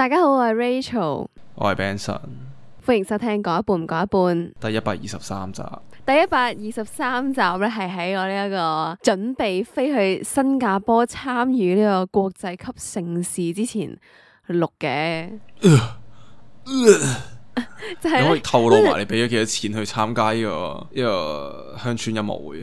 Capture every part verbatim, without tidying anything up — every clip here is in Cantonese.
大家好，我係 Rachel，我係 Benson，歡迎收聽講一半唔講一半，第一百二十三集。第一百二十三集咧係喺我呢一個準備飛去新加坡參與呢個國際級盛事之前錄嘅。就係你可以透露埋你俾咗幾多錢去參加呢、這個呢、這個鄉村音樂會？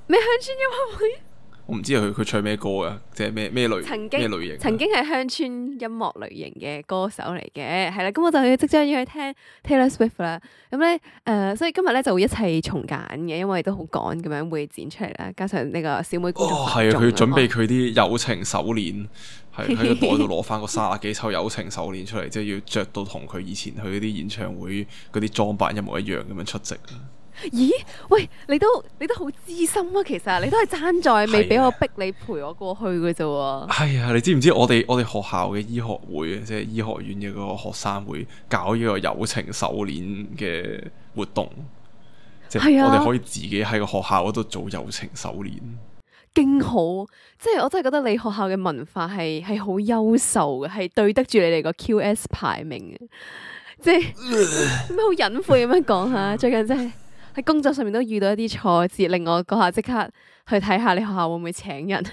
咩鄉村音樂會？我唔知佢佢唱咩歌嘅，即係咩咩類曾經咩類型？曾經係鄉村音樂類型嘅歌手嚟嘅，係啦，咁我就要即將要去聽 Taylor Swift 啦。咁咧誒，所以今日咧就會一齊重揀嘅，因為都好趕咁樣會剪出嚟啦。加上呢個小妹工作哦，係啊，佢準備哦佢啲友情手鏈，係喺個袋度攞翻個三十幾抽友情手鏈出嚟，即係要着到同佢以前去嗰啲演唱會嗰啲裝扮一模一樣咁樣出席。咦？喂，你都你都好資深啊！其實你都係爭在未俾我逼你陪我過去嘅啫喎。係啊，你知唔知我哋我哋學校嘅醫學會，即係醫學院嘅嗰個學生會搞呢個友情手鏈嘅活動，即係我哋可以自己喺個學校嗰度做友情手鏈，勁好！即係我真係覺得你學校嘅文化係係好優秀嘅，係對得住你哋個 Q S 排名嘅。即係咩好隱晦咁樣講下？最近真係喺工作上面都遇到一啲挫折，令我嗰下即刻去睇下你學校會唔會請人。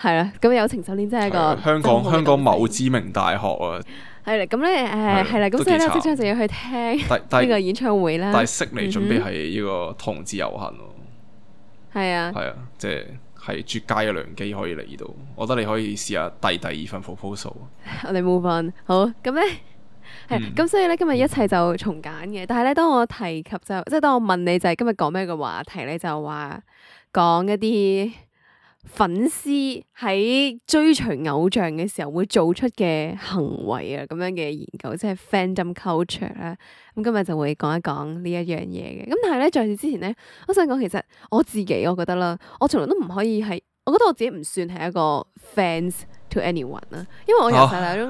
係啦，咁友情手鏈真係一個香港香港某知名大學啊。係啦，咁咧誒係啦，咁所以咧即刻就要去聽呢個演唱會啦。但係悉尼準備係呢個同志遊行喎。係啊。係啊，即係係絕佳嘅良機可以嚟到。我覺得你可以試下遞第二份 proposal。我哋 move on。好，咁咧。係咁，嗯、所以咧今日一齊就重揀嘅。但係咧，當我提及就即係當我問你就係今日講咩嘅話題咧，就話講一啲粉絲喺追隨偶像嘅時候會做出嘅行為啊，咁樣嘅研究，即係 fandom culture 啦。咁今日就會講一講呢一樣嘢嘅。咁但係咧，在此之前咧，我想講其實我自己我覺得啦，我從來都唔可以係，我覺得我自己唔算係一個 fans to anyone 啦，因為我由細到大都。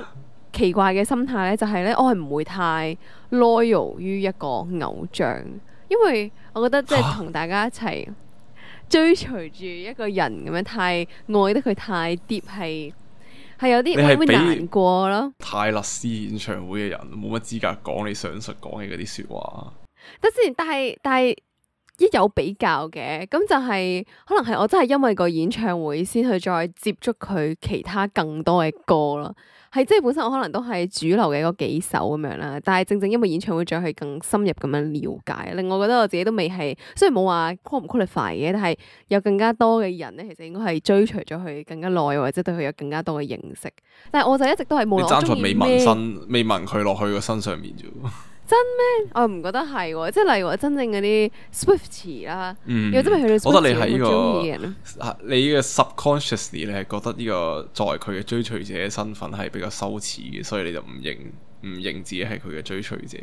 奇怪嘅心態咧，就係咧，我係唔會太 loyal 於一個偶像，因為我覺得即係同大家一齊追隨住一個人咁樣，太愛得佢太 deep 係係有啲會會難過咯。泰勒斯演唱會嘅人冇乜資格講你上述講嘅嗰啲説話。得先，但係但係一有比較嘅，咁就係可能係我真係因為個演唱會先去再接觸佢其他更多嘅歌咯。係即係本身我可能都係主流嘅嗰幾首咁樣啦，但係正正因為演唱會再去更深入咁樣了解，令我覺得我自己都未係，雖然冇話 qual 唔 qualify 嘅，但係有更加多嘅人咧，其實應該係追隨咗佢更加耐，或者對佢有更加多嘅認識。但係我就一直都係冇。你爭在未紋身，未紋佢落去個身上面啫。真咩？我又唔覺得係喎，即係例如話真正嗰啲 Swiftie 啦，嗯、又真係去到 Swiftie 我覺得你係呢、這個，你嘅 subconsciously 你係覺得呢個作為佢嘅追隨者嘅身份係比較羞恥嘅，所以你就唔認唔認自己係佢嘅追隨者。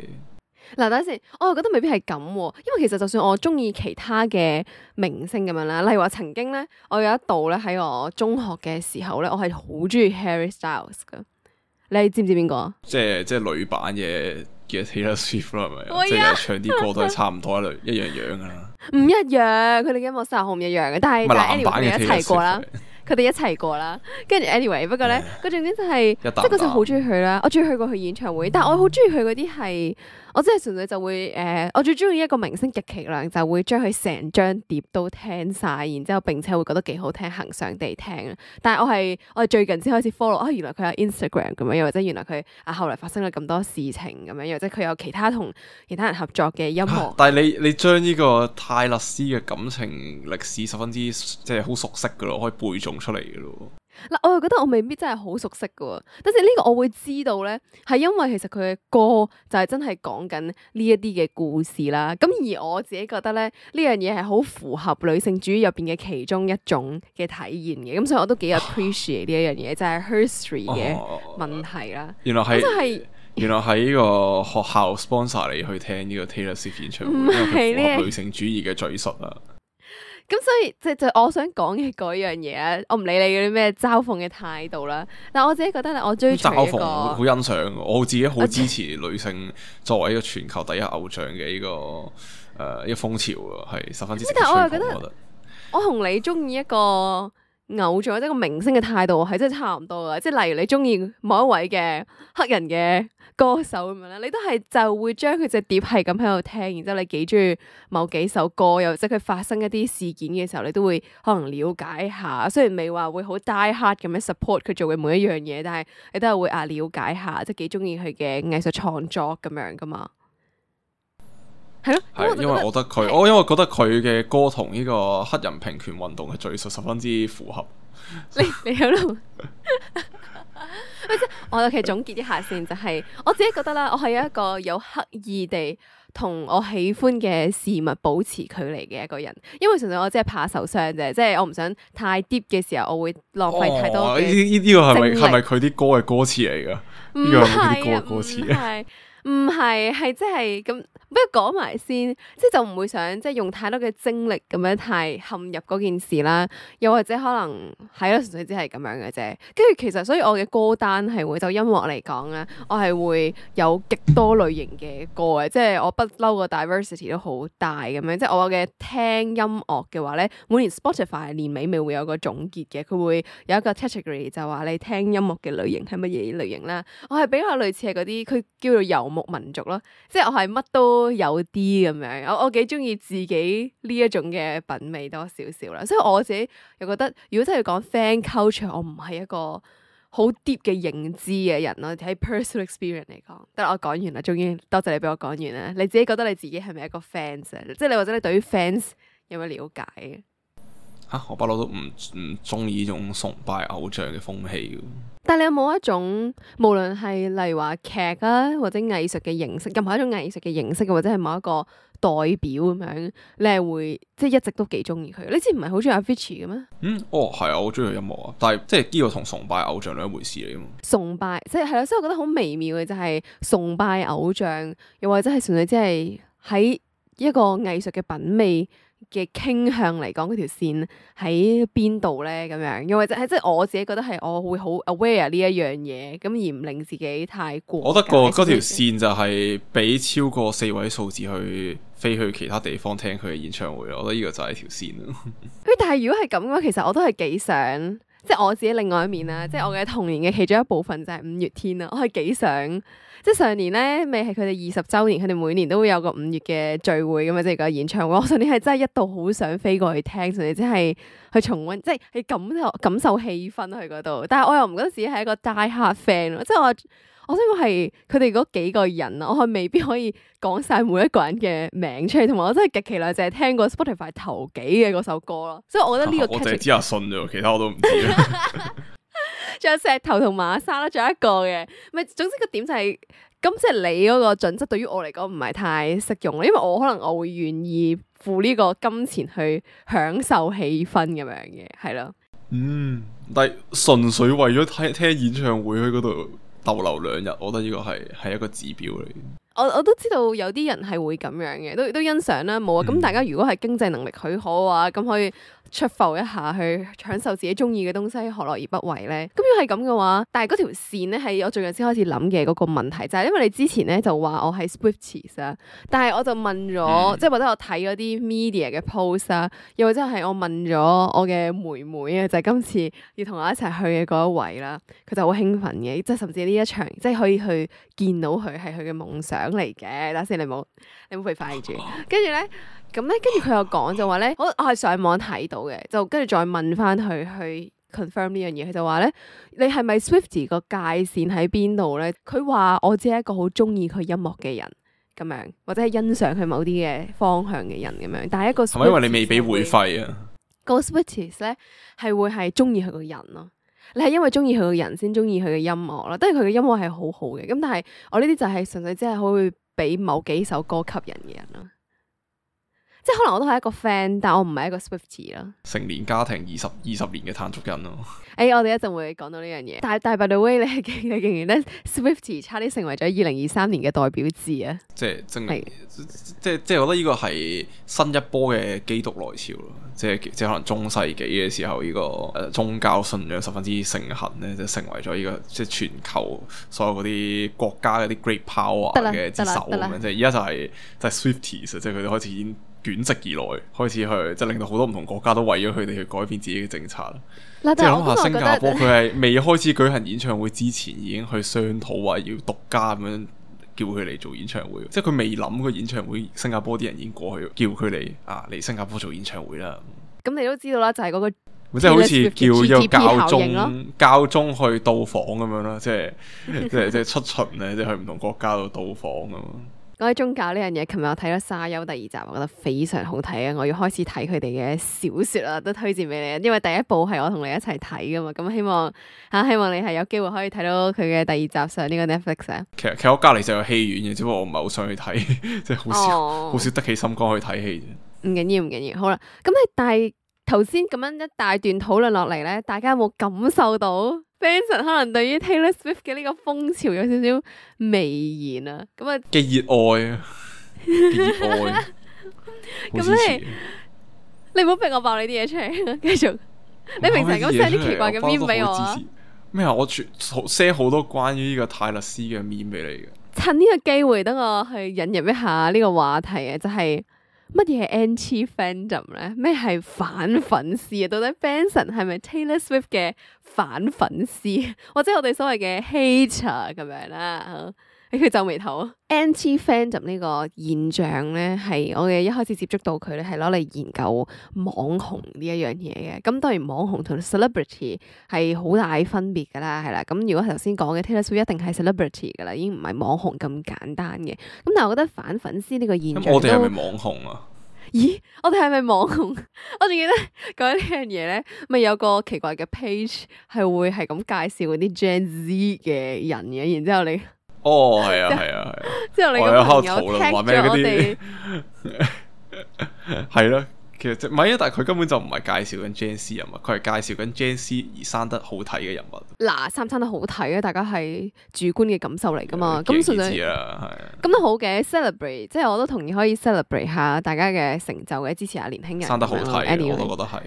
嗱，等陣先，我又覺得未必係咁，因為其實就算我中意其他嘅明星咁樣啦，例如話曾經咧，我有一度咧喺我中學嘅時候咧，我係好中意 Harry Styles 噶，你知唔知邊個啊？即係即係女版嘅。嘅 Taylor Swift 啦，係咪？哎、呀即係唱啲歌都係差唔多一類一樣樣噶啦。唔一樣，佢哋嘅音樂真係好唔一樣嘅。但係但係 anyway 佢哋一齊過啦，佢哋一齊過啦。跟住 anyway，不過咧，個重點就係、是，即係嗰陣好中意佢啦。我中意去過佢演唱會，但係我好中意佢嗰啲係，我真係純粹就會誒、呃，我最中意一個明星極其量就會將佢成張碟都聽晒，然之後並且會覺得幾好聽，恆常地聽。但係我係我係最近先開始 follow 啊，原來佢有 Instagram 咁樣，又或者原來佢啊後來發生咗咁多事情咁樣，又或者佢有其他同其他人合作嘅音樂。但係你你將呢個泰勒斯嘅感情歷史十分之即係好熟悉噶咯，可以背誦出嚟噶咯。嗱，我又覺得我未必真係好熟悉噶，但係呢個我會知道咧，係因為其實佢嘅歌就係真係講緊呢一啲嘅故事啦。咁而我自己覺得咧，呢樣嘢係好符合女性主義入邊嘅其中一種嘅體驗嘅。咁所以我都幾 appreciate 呢一樣嘢，就係 history 嘅問題啦。原來係，係原來係呢個學校 sponsor 你去聽呢個 Taylor Swift 演唱會，因為佢符合女性主義嘅敘述啊。咁所以即就我想講嘅嗰樣嘢咧，我唔理你嗰啲咩嘲諷嘅態度啦。但係我自己覺得咧，我追隨一個好欣賞，我自己好支持女性作為一個全球第一偶像嘅呢、這個誒、呃、一個風潮啊，係十分之。但係我又覺得，我同你中意一個偶像或者個明星嘅態度係真係差唔多噶，即係例如你中意某一位嘅黑人嘅歌手咁樣咧，你都係就會將佢隻碟係咁喺度聽，然之後你幾中意某幾首歌，又或者佢發生一啲事件嘅時候，你都會可能了解下。雖然未話會好 die hard 咁樣 support 佢做嘅每一樣嘢，但係你都係會啊了解下，即係幾中意佢嘅藝術創作咁樣噶嘛。係咯，係因為我覺得佢，我因為覺得佢嘅歌同呢個黑人平權運動嘅敘述十分之符合。你你喺度，喂，即係我其實總結一下先，就係、是、我自己覺得啦，我係一個有刻意地同我喜歡嘅事物保持距離嘅一個人，因為純粹我只係怕受傷啫，即係我唔想太 deep 嘅時候，我會浪費太多嘅精力。呢呢個係咪係咪佢啲歌嘅歌詞嚟噶？唔係啊，唔係。唔係，係即係咁，不如講埋先，即係就唔會想即係用太多嘅精力咁樣太陷入嗰件事啦，又或者可能係咯，純粹只係咁樣嘅啫。跟住其實，所以我嘅歌單係會就音樂嚟講咧，我係會有極多類型嘅歌嘅，即係我不嬲個 diversity 都好大咁樣。即係我嘅聽音樂嘅話咧，每年 Spotify 年尾咪會有個總結嘅，佢會有一個 category 就話你聽音樂嘅類型係乜嘢類型啦。我係比較類似係嗰啲，佢叫做遊牧民族咯，即係我係乜都有啲咁樣，我我幾中意自己呢一種嘅品味多少少啦，所以我自己又覺得，如果真係講 fan culture，我唔係一個好 deep 嘅認知嘅人咯，喺 personal experience 嚟講。得啦，我講完啦，終於多謝你俾我講完啦。你自己覺得你自己係咪一個 fans 啊？即係你或者你對於 fans 有咩了解嘅？吓、啊，我不嬲都唔唔中意呢種崇拜偶像嘅風氣。但係你有冇一種，無論係例如話劇啊，或者藝術嘅形式，任何一種藝術嘅形式，或者係某一個代表咁樣，你係會即係一直都幾中意佢？你之前唔係好中意 Avicii 嘅咩？嗯，哦，係啊，我中意佢音樂啊，但係即係呢個同崇拜偶像兩回事嚟噶嘛。崇拜即係係啦，所以我覺得好微妙嘅就係崇拜偶像，又或者係純粹即係喺一個藝術嘅品味嘅傾向嚟講，嗰條線喺邊度咧？咁樣，又或者係即係我自己覺得係我會好 aware 呢一樣嘢，咁而唔令自己太過。我覺得個嗰條線就係俾超過四位數字去飛去其他地方聽佢嘅演唱會，我覺得呢個就係條線咯。誒，但係如果係咁嘅話，其實我都係幾想，即係我自己另外一面啦，即係我嘅童年嘅其中一部分就係五月天啦，我係幾想。即係上年咧，未係佢哋二十週年，佢哋每年都會有個五月嘅聚會咁啊，即係個演唱會。我上年係真係一度好想飛過去聽，甚至即係去重溫，即係去感受感受氣氛去嗰度。但係我又唔覺得自己係一個 die hard fan 咯，即係我我想講係佢哋嗰幾個人啊，我係未必可以講晒每一個人嘅名出嚟，同埋我真係極其量淨係聽過 Spotify 頭幾嘅嗰首歌咯。所以我覺得呢個、啊、我淨係知阿信啫，其他我都唔知。仲有石頭同馬莎啦，仲有一個嘅，咪總之個點就係、是、咁，即係你嗰個準則對於我嚟講唔係太適用咯，因為我可能我會願意付呢個金錢去享受氣氛咁樣嘅，係咯。嗯，但係純粹為咗睇聽演唱會喺嗰度逗留兩日，我覺得呢個係係一個指標嚟。我我都知道有啲人係會咁樣嘅，都都欣賞啦，冇啊。咁、嗯、大家如果係經濟能力許可嘅話，咁可以出埠一下去享受自己中意嘅東西，何樂而不為咧？咁如果係咁嘅話，但係嗰條線咧係我最近先開始諗嘅嗰個問題，就係、是、因為你之前咧就話我係 Swifties 啊，但係我就問咗，嗯、即係或者我睇嗰啲 media 嘅 post 啊，又或者係我問咗我嘅妹妹啊，就係、是、今次要同我一齊去嘅嗰一位啦，佢就好興奮嘅，即係甚至呢一場即係可以去見到佢係佢嘅夢想嚟嘅。等先，你冇你冇被發現住，跟住咧。咁咧，跟住佢又講就話咧，我我係上網睇到嘅，就跟住再問翻佢去 confirm 呢樣嘢。佢就話咧，你係咪 Swiftie 個界線喺邊度咧？佢話我只係一個好中意佢音樂嘅人咁樣，或者係欣賞佢某啲嘅方向嘅人咁樣。但係一個係咪因為你未俾會費啊？個 Swifties 咧係會係中意佢個人咯，你係因為中意佢個人先中意佢嘅音樂咯。當然佢嘅音樂係好好嘅，咁但係我呢啲就係純粹只係可以俾某幾首歌吸引嘅人咯。即係可能我都係一個 fan，但我唔係一個 Swiftie 啦。成年家庭二十二十年嘅彈族人咯。誒、欸，我哋一陣會講到呢樣嘢。但係但係 by the way，你係記你記唔記得 Swiftie 差啲成為咗二零二三年嘅代表字啊？即係證明，是即係即係，我覺得呢個係新一波嘅基督來潮咯。即係即係可能中世紀嘅時候，呢、這個誒、呃、宗教信仰十分之盛行咧，就成為咗呢、這個即係全球所有嗰啲國家嗰啲 great power 嘅之首咁樣。即係而家就係、是、就係、是、Swifties，即係佢哋開始已經捲席而來，開始去即係令到好多唔同國家都為咗佢哋去改變自己嘅政策啦。嗱，即係諗下新加坡，我佢係未開始舉行演唱會之前，已經去商討話要獨家咁樣叫佢嚟做演唱會。即係佢未諗個演唱會，新加坡啲人已經過去叫佢嚟啊嚟新加坡做演唱會啦。咁你都知道啦，就係、是、嗰個即係好似叫一個教宗咯教宗去到訪咁樣啦，即係即係即係出巡咧，即係去唔同國家度到訪咁。講起宗教呢樣嘢，琴日我睇咗《沙丘》第二集，我覺得非常好睇啊！我要開始睇佢哋嘅小說啦，都推薦俾你啊！因為第一部係我同你一齊睇噶嘛，咁希望吓、啊、希望你係有機會可以睇到佢嘅第二集上呢個 Netflix 啊。其實其實我隔籬就有戲院嘅，只不過我唔係好想去睇，即係好少好、oh. 少得起心肝去睇戲啫。唔緊要唔緊要，好啦，咁你但係頭先咁樣一大段討論落嚟咧，大家有冇感受到 Benson 可能對於 Taylor Swift 嘅呢個風潮有少少微言啊？咁啊嘅熱愛啊，嘅熱愛。咁你你唔好逼我爆你啲嘢出嚟，繼續。你平時咁 send 啲奇怪嘅 meme 俾我啊？咩啊？我全 send 好多關於呢個泰勒斯嘅 meme 俾你嘅。趁呢個機會，等我去引入一下呢個話題啊，就係、是。乜嘢係 anti-fandom 咧？咩係反粉絲啊？到底 Benson 係咪 Taylor Swift 嘅反粉絲，或者我哋所謂嘅 hater 咁樣啦？你佢皺眉頭。anti-fandom 呢個現象咧，係我哋一開始接觸到佢咧，係攞嚟研究網紅呢一樣嘢嘅。咁當然網紅同 celebrity 係好大分別噶啦，係啦。咁如果頭先講嘅 Taylor Swift 一定係 celebrity 噶啦，已經唔係網紅咁簡單嘅。咁但係我覺得反粉絲呢個現象，咁我哋係咪網紅啊？咦，我哋係咪網紅？我仲記得講呢樣嘢咧，咪有個奇怪嘅 page 係會係咁介紹嗰啲 Gen Z 嘅人嘅，然之後你。哦，係啊，係啊，係啊！之後你個朋友聽咗我哋，係咯，其實唔係啊，但係佢根本就唔係介紹緊 Gen Z 人物，佢係介紹緊 Gen Z 而生得好睇嘅人物。嗱，生唔生得好睇啊？大家係主觀嘅感受嚟噶嘛？咁純粹啊，係咁都好嘅 ，celebrate，即係我都同意可以 celebrate 下大家嘅成就嘅，支持下年輕人。生得好睇，anyway，我都覺得係。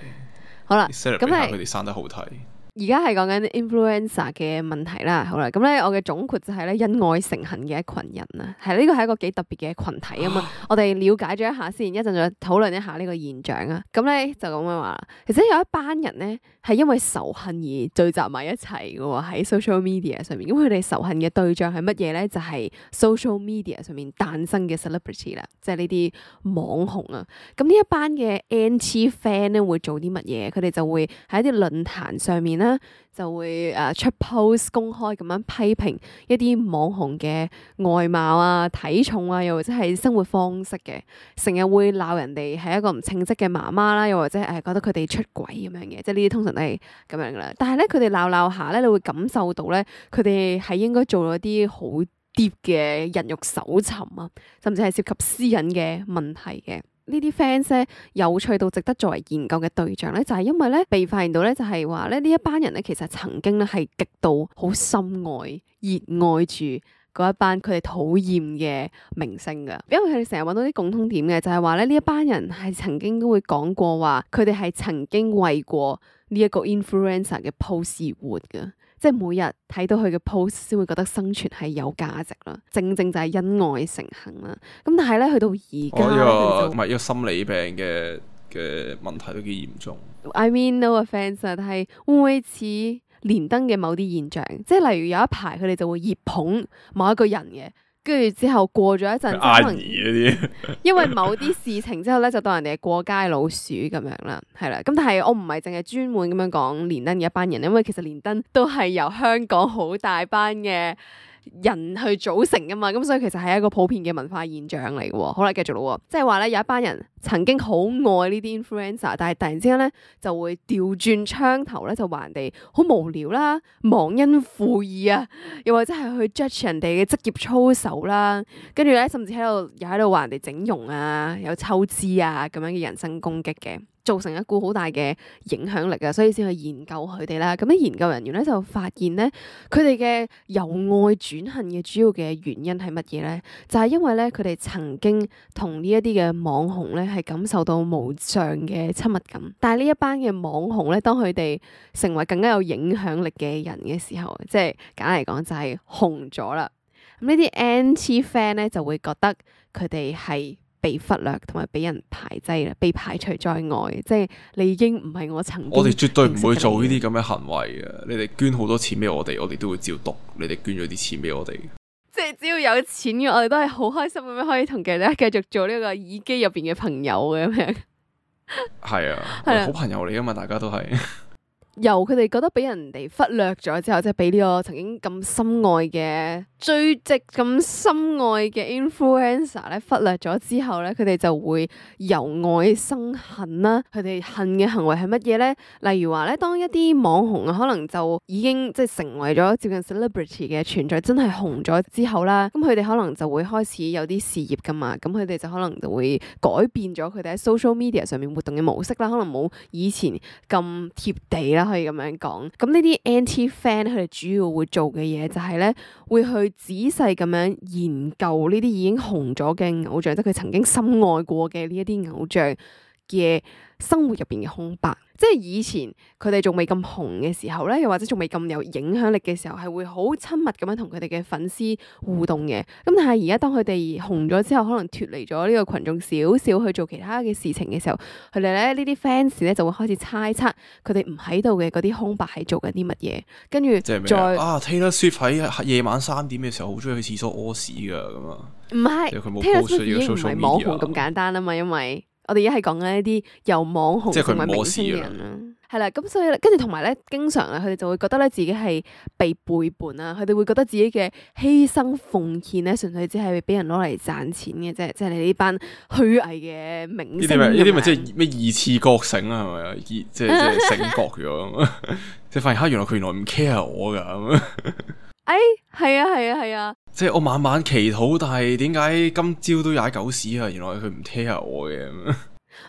好啦，咁係佢哋生得好睇。而家係講緊 influencer 嘅問題啦，好啦，咁咧我嘅總括就係咧恩愛成恨嘅一群人啊，係呢個係一個幾特別嘅群體啊嘛，我哋了解咗一下先，一陣再討論一下呢個現象啊。咁咧就咁樣話，其實有一班人咧係因為仇恨而聚集埋一齊嘅喎，喺 social media 上面。咁佢哋仇恨嘅對象係乜嘢咧？就係 social media 上面誕生嘅 celebrity 啦，即係呢啲網紅啊。咁呢一班嘅 anti fan 咧會做啲乜嘢？佢哋就會喺一啲論壇上面啦，就會誒出 post 公開咁樣批評一啲網紅嘅外貌啊、體重啊，又或者係生活方式嘅，成日會鬧人哋係一個唔稱職嘅媽媽啦，又或者誒覺得佢哋出軌咁樣嘅，即係呢啲通常都係咁樣噶啦。但係咧，佢哋鬧鬧下咧，你會感受到咧，佢哋係應該做咗啲好 deep 嘅人肉搜尋啊，甚至係涉及私隱嘅問題嘅。呢啲 fans 咧有趣到值得作為研究嘅對象咧，就係因為咧被發現到咧，就係話咧呢一班人咧其實曾經咧係極度好深愛、熱愛住嗰一班佢哋討厭嘅明星噶，因為佢哋成日揾到啲共通點嘅，就係話咧呢一班人係曾經都會講過話，佢哋係曾經為過呢一個 influencer 嘅 post 而活噶。即係每日睇到佢嘅 post 先會覺得生存係有價值啦，正正就係恩愛成恨啦。咁但係咧去到而家，哦，唔係一個心理病嘅嘅問題都幾嚴重。I mean no offence，但係會唔會似連登嘅某啲現象？即係例如有一排佢哋就會熱捧某一個人嘅。跟住之後過咗一陣，阿姨嗰啲，因為某啲事情之後咧，就當人哋係過街老鼠咁樣啦，係啦。咁但係我唔係淨係專門咁樣講連登嘅一班人，因為其實連登都係由香港好大班嘅人去組成噶嘛，咁所以其實係一個普遍嘅文化現象嚟嘅。好啦，繼續咯，即係話咧有一班人曾經好愛呢啲 influencer，但係突然之間咧就會調轉槍頭咧，就話人哋好無聊啦、忘恩負義啊，又或者係去 judge 人哋嘅職業操守啦，跟住咧甚至喺度又喺度話人哋整容啊、有抽脂啊咁樣嘅人身攻擊嘅。造成一股好大嘅影響力啊，所以先去研究佢哋啦。咁啲研究人員咧就發現咧，佢哋嘅由愛轉恨嘅主要嘅原因係乜嘢咧？就係因為咧，佢哋曾經同呢一啲嘅網紅咧係感受到無上嘅親密感。但係呢一班嘅網紅咧，當佢哋成為更加有影響力嘅人嘅時候，即係簡單嚟講就係紅咗啦。咁呢啲 anti fan 咧就會覺得佢哋係被忽略同埋俾人排擠啦，被排除在外，即係你已經唔係我曾經。我哋絕對唔會做呢啲咁嘅行為嘅。你哋捐好多錢俾我哋，我哋都會照讀。你哋捐咗啲錢俾我哋，即係只要有錢嘅，我哋都係好開心咁樣可以同大家繼續做呢個耳機入邊嘅朋友嘅咁樣。係啊，係啊，好朋友嚟噶嘛，大家都係。由佢哋覺得俾人哋忽略咗之後，即係俾呢個曾經咁深愛嘅追跡咁深愛嘅 influencer 咧忽略咗之後咧，佢哋就會由愛生恨啦。佢哋恨嘅行為係乜嘢咧？例如話咧，當一啲網紅啊，可能就已經即係成為咗接近 celebrity 嘅存在，真係紅咗之後啦，咁佢哋可能就會開始有啲事業噶嘛，咁佢哋就可能就會改變咗佢哋喺 social media 上面活動嘅模式啦，可能冇以前咁貼地啦。可以咁樣講，咁呢啲 anti fan 佢哋主要會做嘅嘢就係咧，會去仔細咁樣研究呢啲已經紅咗嘅偶像，即係佢曾經深愛過嘅呢一啲偶像嘅生活入邊嘅空白。即係以前佢哋仲未咁紅嘅時候咧，又或者仲未咁有影響力嘅時候，係會好親密咁樣同佢哋嘅粉絲互動嘅。咁但係而家當佢哋紅咗之後，可能脫離咗呢個群眾少少去做其他嘅事情嘅時候，佢哋咧呢啲 fans 咧就會開始猜測佢哋唔喺度嘅嗰啲空白係做緊啲乜嘢，跟住再啊 Taylor Swift 喺夜晚三點嘅時候好中意去廁所屙屎噶咁啊，唔係 Taylor Swift 已經唔係網紅咁簡單啊嘛，因為我哋而家係講緊一啲由網紅成為明星嘅人啦，係啦，咁所以跟住同埋咧，經常咧，佢哋就會覺得咧自己係被背叛啦，佢哋會覺得自己嘅犧牲奉獻咧，純粹只係俾人攞嚟賺錢嘅啫，即係你呢班虛偽嘅明星。呢啲咪呢啲咪即係咩二次覺醒啊？係咪啊？即係即係醒覺咗，即係發現嚇原來佢原來唔 care 我㗎咁。哎，係啊，係啊，係啊！即係我晚晚祈禱，但係點解今朝都踩狗屎啊？原來佢唔 care 我嘅。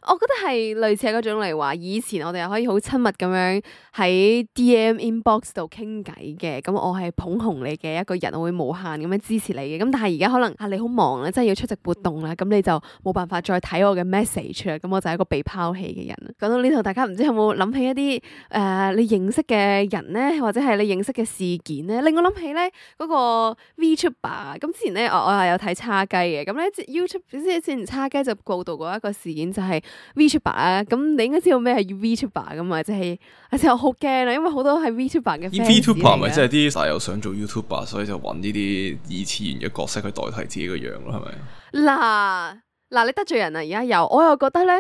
我覺得係類似係嗰種嚟話，以前我哋又可以好親密咁樣喺 D M inbox 度傾偈嘅，咁我係捧紅你嘅一個人，我會無限咁樣支持你嘅。咁但係而家可能啊你好忙啦，真係要出席活動啦，咁你就冇辦法再睇我嘅 message 啦，咁我就係一個被拋棄嘅人。講到呢度，大家唔知有冇諗起一啲誒、呃、你認識嘅人咧，或者係你認識嘅事件咧，令我諗起咧嗰個 VTuber。咁之前咧我我係有睇叉雞嘅，咁咧 YouTube 即係之前叉雞就報導過一個事件，就係 VTuber 啊，咁你應該知道咩係 VTuber 噶嘛？即係，而且我好驚啊，因為好多係 VTuber 嘅 fans。VTuber 咪即係啲細友想做 YouTuber，所以就揾呢啲二次元嘅角色去代替自己個樣咯，係咪？嗱嗱，你得罪人啊！而家有，我又覺得咧，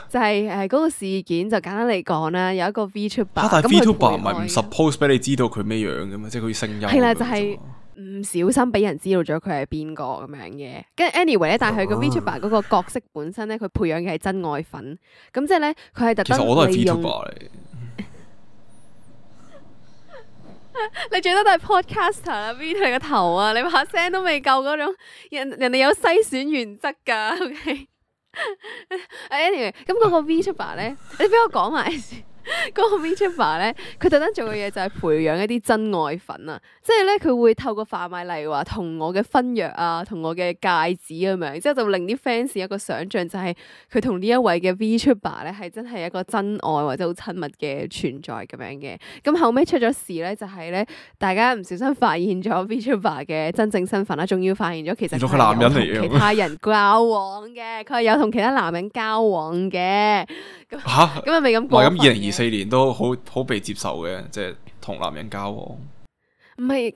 就係誒嗰個事件就簡單嚟講啦，有一個 VTuber，但係 VTuber 唔係唔 suppose 俾你知道佢咩樣嘅嘛，即係佢啲聲音。係啦，就係、是。唔小心俾人知道咗佢係邊個咁樣嘅，跟住 anyway 咧，但係佢個 VTuber 嗰個角色本身咧，佢培養嘅係真愛粉，咁即係咧，佢係特登利用。其實我都係 VTuber 嚟。你最多都係 podcaster 啦，V 你個頭啊！你把聲都未夠嗰種，人人哋有篩選原則㗎。OK。anyway，咁嗰個 VTuber 咧，你俾我講埋先。嗰個 VTuber 咧，佢特登做嘅嘢就係培養一啲真愛粉啊！即係咧，佢會透過販賣，例如話同我嘅婚約啊，同我嘅戒指咁樣，之後就令啲 fans 一個想像，就係佢同呢一位嘅 VTuber 咧係真係一個真愛或者好親密嘅存在咁樣嘅。咁後尾出咗事咧，就係咧，大家唔小心發現咗 VTuber 嘅真正身份啦，仲要發現咗其實佢係有同其他人交往嘅，佢係有同其他男人交往嘅。咁嚇咁啊，未咁過分。咁二零二四年都好好被接受嘅，即係同男人交往。唔係，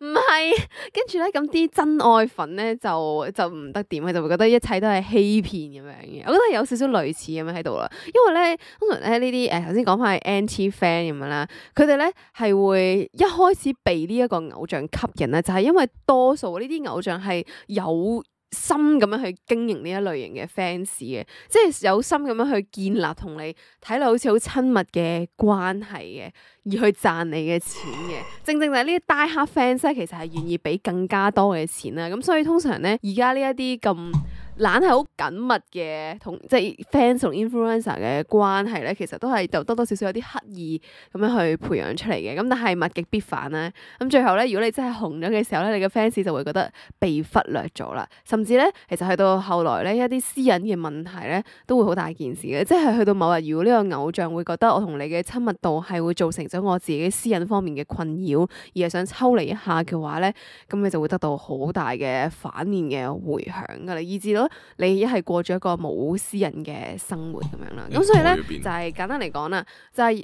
唔係，跟住咧，咁啲真愛粉咧就就唔得掂，佢就會覺得一切都係欺騙咁樣嘅。我覺得有少少類似咁樣喺度啦，因為咧通常咧呢啲誒頭先講翻係 anti fan 咁樣啦，佢哋咧係會一開始被呢一個偶像吸引咧，就係、是、因為多數呢啲偶像係有心咁樣去經營呢一類型嘅 fans 嘅，即係有心咁樣去建立同你睇落好似好親密嘅關係嘅，而去賺你嘅錢嘅。正正就係呢啲 die hard fans 咧，其實係願意俾更加多嘅錢啦。咁所以通常咧，而家呢一啲咁懶係好緊密嘅同即係 fans 同 influencer 嘅關係咧，其實都係就多多少少有啲刻意咁樣去培養出嚟嘅。咁但係物極必反啦。咁最後咧，如果你真係紅咗嘅時候咧，你嘅 fans 就會覺得被忽略咗啦。甚至咧，其實去到後來咧，一啲私隱嘅問題咧，都會好大件事嘅。即係去到某日，如果呢個偶像會覺得我同你嘅親密度係會造成咗我自己私隱方面嘅困擾，而係想抽離一下嘅話咧，咁你就會得到好大嘅反面嘅迴響噶啦，以至到咗你一係過咗一個冇私人嘅生活咁樣啦。咁所以咧就係簡單嚟講啦，就係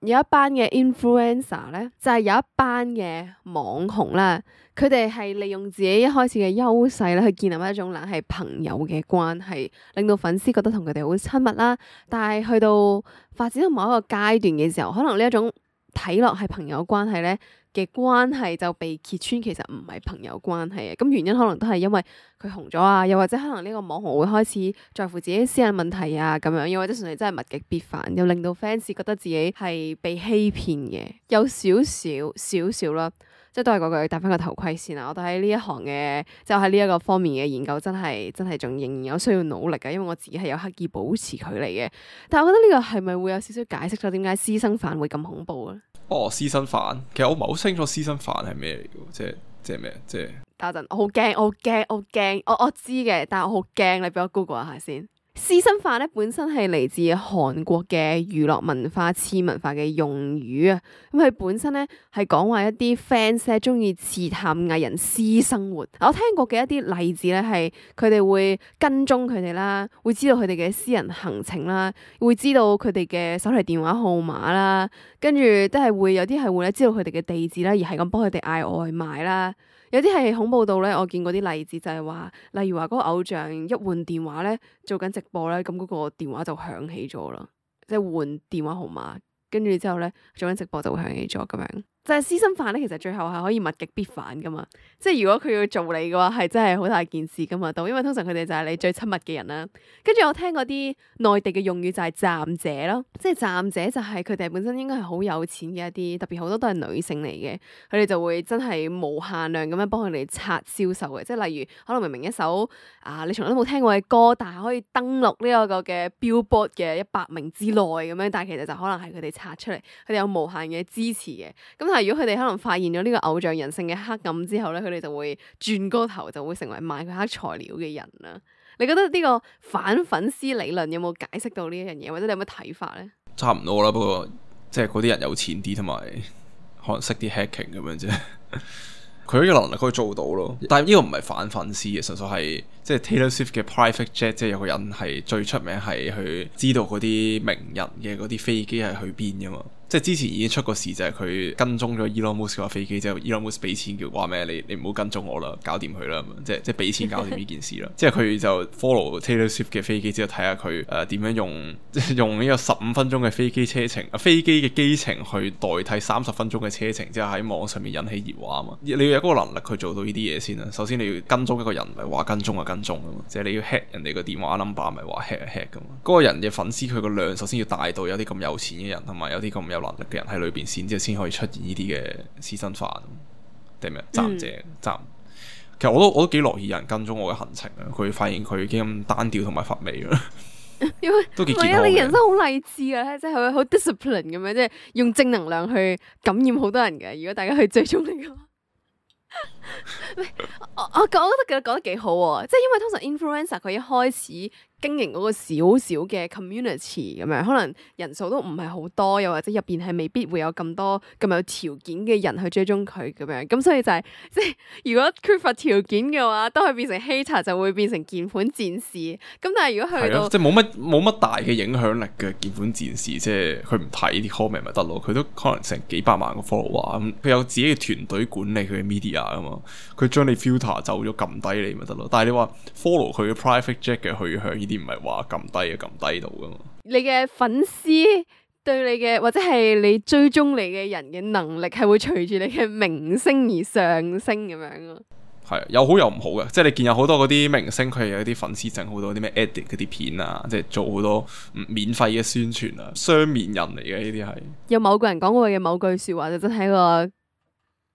有一班嘅 influencer 咧，就係有一班嘅網紅啦，佢哋係利用自己一開始嘅優勢咧，去建立一種冷係朋友嘅關係，令到粉絲覺得同佢哋好親密啦。但係去到發展到某一個階段嘅時候，可能呢一種睇落係朋友關係咧嘅關係就被揭穿，其實唔係朋友關係嘅。咁原因可能都係因為佢紅咗啊，又或者可能呢個網紅會開始在乎自己私人問題啊咁樣，又或者純粹真係物極必反，又令到 fans 覺得自己係被欺騙嘅，有少少少少啦。即係都係嗰句戴翻個頭盔先啦。我哋喺呢一行嘅，即係喺呢一個方面嘅研究，真係真係仲仍然有需要努力嘅，因為我自己係有刻意保持距離嘅。但係我覺得呢個係咪會有少少解釋咗點解私生飯會咁恐怖咧？哦，私生飯，其實我唔係好清楚私生飯係咩嚟嘅，即係即係咩？即係等陣，我好驚，我好驚，我好驚，我我知嘅，但係我好驚，你俾我 Google 一下先。私生飯咧本身係嚟自韓國嘅娛樂文化、次文化嘅用語啊。咁佢本身咧係講話一啲 fans 咧中意刺探藝人私生活。我聽過嘅一啲例子咧係佢哋會跟蹤佢哋啦，會知道佢哋嘅私人行程啦，會知道佢哋嘅手提電話號碼啦，跟住都係會有啲係會咧知道佢哋嘅地址啦，而係咁幫佢哋嗌外賣啦。有啲係恐怖到咧，我見過啲例子就係話，例如話嗰個偶像一換電話咧，做緊直播咧，咁嗰個電話就響起咗啦，即係換電話號碼，跟住之後咧做緊直播就會響起咗咁樣。就係私生飯咧，其實最後係可以物極必反噶嘛，即係如果佢要做你嘅話，係真係好大件事噶嘛，都因為通常佢哋就係你最親密嘅人啦。跟住我聽嗰啲內地嘅用語就係站姐咯，即係站姐就係佢哋本身應該係好有錢嘅一啲，特別好多都係女性嚟嘅，佢哋就會真係無限量咁樣幫佢哋刷銷售嘅，即係例如可能明明一首啊你從來都冇聽過嘅歌，但係可以登錄呢一個嘅 Billboard 嘅一百名之內咁樣，但係其實就可能係佢哋刷出嚟，佢哋有無限嘅支持嘅。咁但係如果佢哋可能發現咗呢個偶像人性嘅黑暗之後咧，佢哋就會轉個頭就會成為賣佢黑材料嘅人啦。你覺得呢個反粉絲理論有冇解釋到呢一樣嘢，或者你有乜睇法咧？差唔多啦，不過即係嗰啲人有錢啲，同埋可能識啲 hacking 咁樣啫。佢呢個能力可以做到咯，但係呢個唔係反粉絲嘅，純粹係即係 Taylor Swift 嘅 private jet，即係有個人係最出名係去知道嗰啲名人嘅嗰啲飛機係去邊噶嘛。即係之前已經出過事，就係佢跟蹤咗 Elon Musk 架飛機之後，Elon Musk 俾錢叫話咩？你你唔好跟蹤我啦，搞掂佢啦，即係即係俾錢搞掂呢件事啦。即係佢就 follow Taylor Swift 嘅飛機之後，睇下佢誒點樣用即係用呢個十五分鐘嘅飛機車程啊飛機嘅機程去代替三十分鐘嘅車程，之後喺網上面引起熱話啊嘛。你要有嗰個能力去做到呢啲嘢先啦。首先你要跟蹤一個人，唔係話跟蹤就跟蹤啊嘛。即係你要 hack 人哋個電話 number，唔係話 hack 就 hack 噶嘛。嗰個人嘅粉絲佢個量首先要大到有啲咁有錢嘅人，同埋有啲咁有能力嘅人喺裏邊。先之後先可以出現呢啲嘅私生飯定咩站姐站，其實我都我都幾樂意有人跟蹤我嘅行程啊！佢發現佢已經咁單調同埋乏味啦，因為都幾健康嘅。你人生好勵志啊，即係好 discipline 咁樣，即係用正能量去感染好多人嘅。如果大家去追蹤你嘅話，我我我覺得講得幾好喎，即係因為通常 influencer 佢一開始經營嗰個小小嘅 community 咁樣，可能人數都唔係好多，又或者入邊係未必會有咁多咁有條件嘅人去追蹤佢咁樣，咁所以就係、是、即係如果缺乏條件嘅話，都係變成 hater 就會變成鍵盤戰士。咁但係如果去到、啊、即係冇乜冇乜大嘅影響力嘅鍵盤戰士，即係佢唔睇啲 comment 咪得咯，佢都可能成幾百萬個 follower 咁，佢有自己嘅團隊管理佢嘅 media 啊嘛，佢將你 filter 走咗撳低你咪得咯。但係你話 follow 佢嘅 private jet 嘅去向，啲唔係話撳低啊，撳低到噶嘛？你嘅粉絲對你嘅或者係你追蹤你嘅人嘅能力係會隨住你嘅明星而上升咁樣咯。係有好有唔好嘅，即係你見有好多嗰啲明星佢係有啲粉絲整好多啲咩 edit 嗰啲片啊，即係做好多免費嘅宣傳啊，雙面人嚟嘅呢啲係。有某個人講過嘅某句說話就真係一個嗰、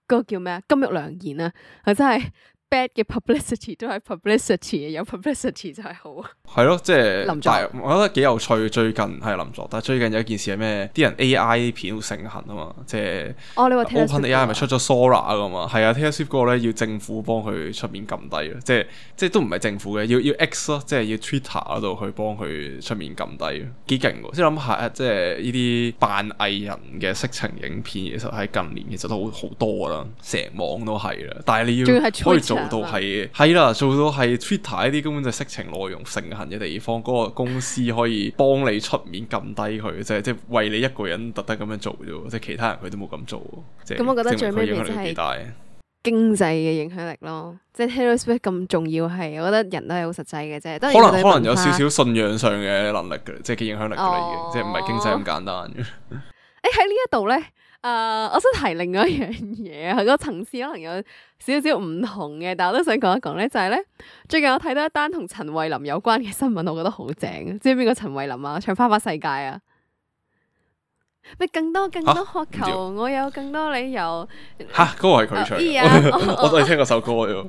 嗰個叫咩啊？金玉良言啊，係真係。bad 嘅 publicity 都係 publicity， 有 publicity 就係好。係咯，即係林作，我覺得幾有趣。最近係林作，但係最近有一件事係咩？啲人 A I 片好盛行啊嘛，即係哦，你話 OpenAI 咪出咗 Sora 噶嘛？係啊 Taylor Swift 嗰個咧要政府幫佢出面撳低咯，即係即係都唔係政府嘅，要要 X 咯，即係要 Twitter 嗰度去幫佢出面撳低，幾勁喎！即係諗下，即係呢啲扮藝人嘅色情影片，其實喺近年其實都好好多啦，成網都係啦。但係你要可以做做到係係啦，做到係 Twitter 呢啲根本就係色情內容盛行嘅地方，嗰、嗰個公司可以幫你出面撳低佢，即係即係為你一個人特登咁樣做啫，即係其他人佢都冇咁做。即係咁我覺得最尾咪就係經濟嘅影響力咯，即係 Taylor Swift 咁重要係，我覺得人都係好實際嘅啫。可能可能有少少信仰上嘅能力嘅，即係嘅影響力嘅啦，已經、哦、即係唔係經濟咁簡單嘅。誒喺呢一度咧，誒、呃，我想提另外一樣嘢啊，個層次可能有少少唔同嘅，但係我都想講一講咧，就係、是、咧最近我睇到一單同陳慧琳有關嘅新聞，我覺得好正。知唔知邊個陳慧琳啊？唱《花花世界》啊！咪更多更多渴求，啊、我有更多理由。吓，嗰、那個係佢唱嘅，我都係聽嗰首歌啫。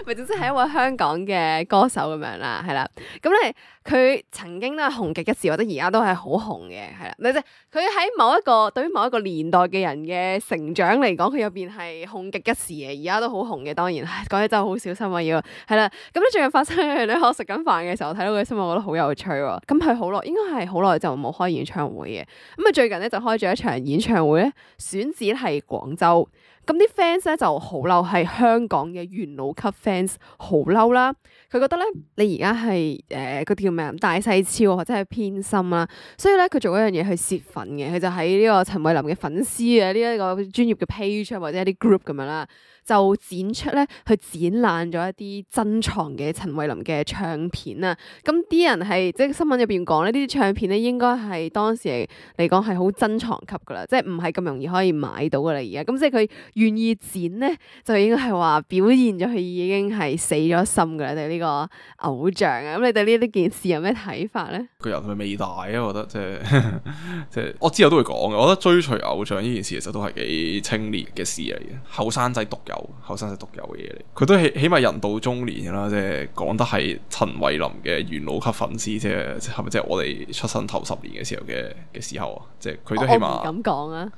咪總之係一位香港嘅歌手咁樣啦，係啦。咁咧佢曾經都係紅極一時，或者而家都係好紅嘅，係啦。你即係佢喺某一個對於某一個年代嘅人嘅成長嚟講，佢入邊係紅極一時嘅，而家都好紅嘅。當然，講起真係好小心啊，要係啦。咁咧最近發生一樣咧，我食緊飯嘅時候睇到佢新聞，我覺得好有趣喎。咁佢好耐，應該係好耐就冇開演唱會嘅。咁啊最近咧就開咗一場演唱會咧，選址係廣州。咁啲 fans 咧就好嬲，係香港嘅元老級 fans 好嬲啦。佢覺得咧，你而家係誒嗰啲叫咩啊？大細超或者係偏心啦，所以咧佢做一樣嘢去泄憤嘅。佢就喺呢個陳慧琳嘅粉絲嘅呢一個專業嘅 page 或者一啲 group 咁樣啦，就展出咧去展覽咗一啲珍藏嘅陳慧琳嘅唱片啊。咁啲人係即係新聞入邊講呢啲唱片咧應該係當時嚟講係好珍藏級噶啦，即係唔係咁容易可以買到噶啦而家。咁即係佢願意展咧，就應該係話表現咗佢已經係死咗心噶啦，對呢個偶像啊。咁你對呢呢件事有咩睇法咧？佢人係咪未大啊？我覺得即係即係我之後都會講嘅。我覺得追隨偶像呢件事其實都係幾青年嘅事嚟嘅，後生仔獨有，後生仔獨有嘅嘢嚟。佢都起起碼人到中年啦，即係講得係陳慧琳嘅元老級粉絲，即係係咪即係我哋出生頭十年嘅時候嘅嘅時候啊？即係佢都起碼我唔敢講啊。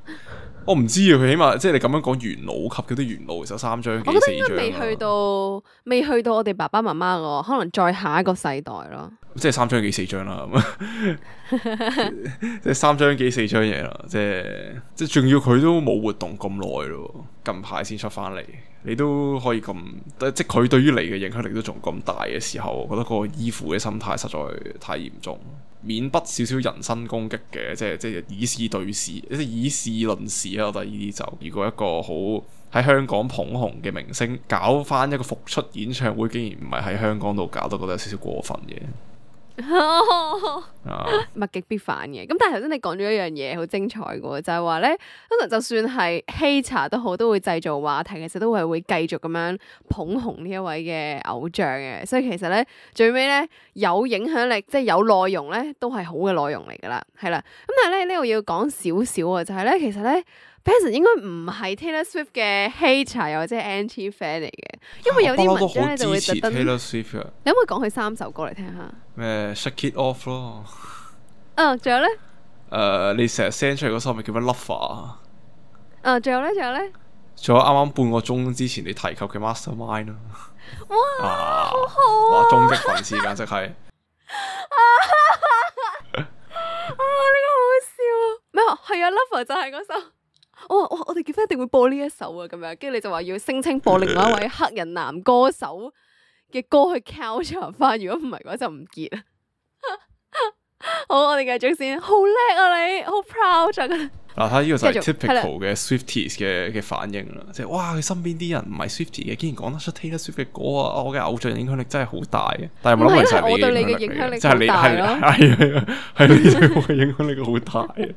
我唔知啊，佢起碼即係你咁樣講元老級嗰啲元老，其實三張幾四張，我覺得應該未去到，未去到我哋爸爸媽媽個，可能再下一個世代咯。即係三張幾四張啦，即係三張幾四張嘢啦，即係即係仲要佢都冇活動咁耐咯，近排先出翻嚟，你都可以咁，即係佢對於你嘅影響力都仲咁大嘅時候，我覺得個依附嘅心態實在太嚴重，免不少少人身攻擊嘅，即係即係以事對事，即係以事論事啊！我覺得呢啲就如果一個好喺香港捧紅嘅明星搞翻一個復出演唱會，竟然唔係喺香港度搞，都覺得有少少過分嘅。物極必反嘅，咁但係頭先你講咗一樣嘢好精彩嘅，就係話咧，可能就算係 hater 都好，都會製造話題，其實都係會繼續咁樣捧紅呢一位嘅偶像嘅，所以其實咧最尾咧有影響力，即係有內容咧，都係好嘅內容嚟噶啦，係啦。咁但係咧呢度要講少少啊，就係咧其實咧 Benson 應該唔係 Taylor Swift 嘅 hater 又或者 anti fan 嚟嘅，因為有啲文章咧就會特登。Taylor Swift 啊，你可唔可以講佢三首歌嚟聽下？咩 Shake It Off 咯。嗯，仲有咧？誒，uh, 你成日 send 出嚟嗰首咪叫咩 Lover 啊？嗯，仲有咧？仲有咧？仲有啱啱半個鐘之前你提及嘅 Mastermind 咯。哇，啊、好好啊！哇，終極粉絲簡直係。啊！呢個好笑啊！咩啊？係啊 ，Lover 就係嗰首。我話哇，我哋結婚一定會播呢一首啊！咁樣，跟住你就話要聲稱播另外一位黑人男歌手嘅歌去 counter 翻，如果唔係嘅話就唔結啦。好，我哋繼續先。好叻啊你，好 proud 啊！嗱，睇呢個就係 typical 嘅 Swifties 嘅嘅反應啦，即係哇，佢身邊啲人唔係 Swiftie 嘅，竟然講得出 Taylor Swift 嘅歌啊！我嘅偶像影響力真係好大嘅，但係冇諗過就係我對你嘅影響力即係你係係係係你對我嘅影響力好大嘅。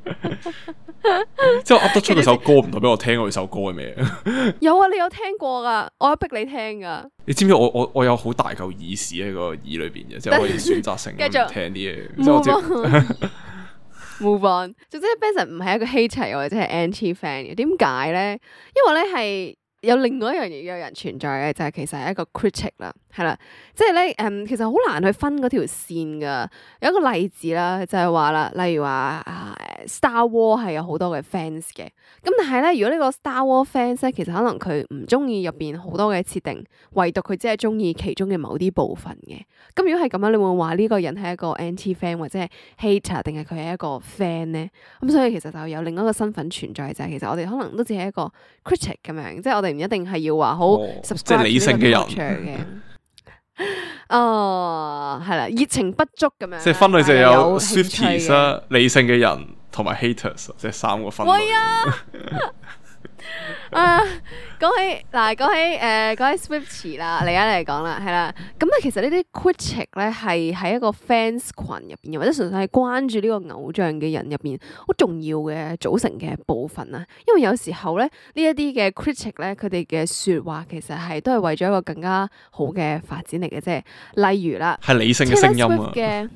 即係我噏得出佢首歌，唔代表我聽過佢首歌係咩？有啊，你有聽過噶，我有逼你聽噶。你知唔知我我我有好大嚿耳屎喺個耳裏邊嘅，即係可以選擇性咁聽啲嘢。即係我知。Move on，總之 Benson 唔係一個 hater 或者係 anti fan 嘅，點解咧？因為咧係有另外一樣嘢有人存在嘅，就係、是、其實係一個 critic 啦，係啦，即係咧誒，其實好難去分嗰條線噶。有一個例子啦，就係話啦，例如話啊 Star Wars 係有好多嘅 fans 嘅，咁但係咧，如果呢個 Star Wars fans 咧，其實可能佢唔中意入邊好多嘅設定，唯獨佢只係中意其中嘅某啲部分嘅。咁如果係咁樣，你會話呢個人係一個 anti fan 或者係 hater，定係佢係一個 fan 咧？咁所以其實就有另一個身份存在，就係其實我哋可能都只係一個 critic 咁樣，即係我哋唔一定係要話好 subscribe 即係理性嘅人嘅。哦，係啦，熱情不足咁樣。即係分類就有 Swifties 啦，理性嘅人同埋 haters，即係三個分類。喂啊！啊，講起嗱，講起誒，講起 Swiftie 啦，嚟緊嚟講啦，係啦，咁咧其實呢啲 critic 咧係喺一個 fans 群入邊，或者純粹係關注呢個偶像嘅人入邊好重要嘅組成嘅部分啊。因為有時候咧呢一啲嘅 critic 咧，佢哋嘅說話其實係都係為咗一個更加好嘅發展嚟嘅啫。例如啦，係理性嘅聲音啊。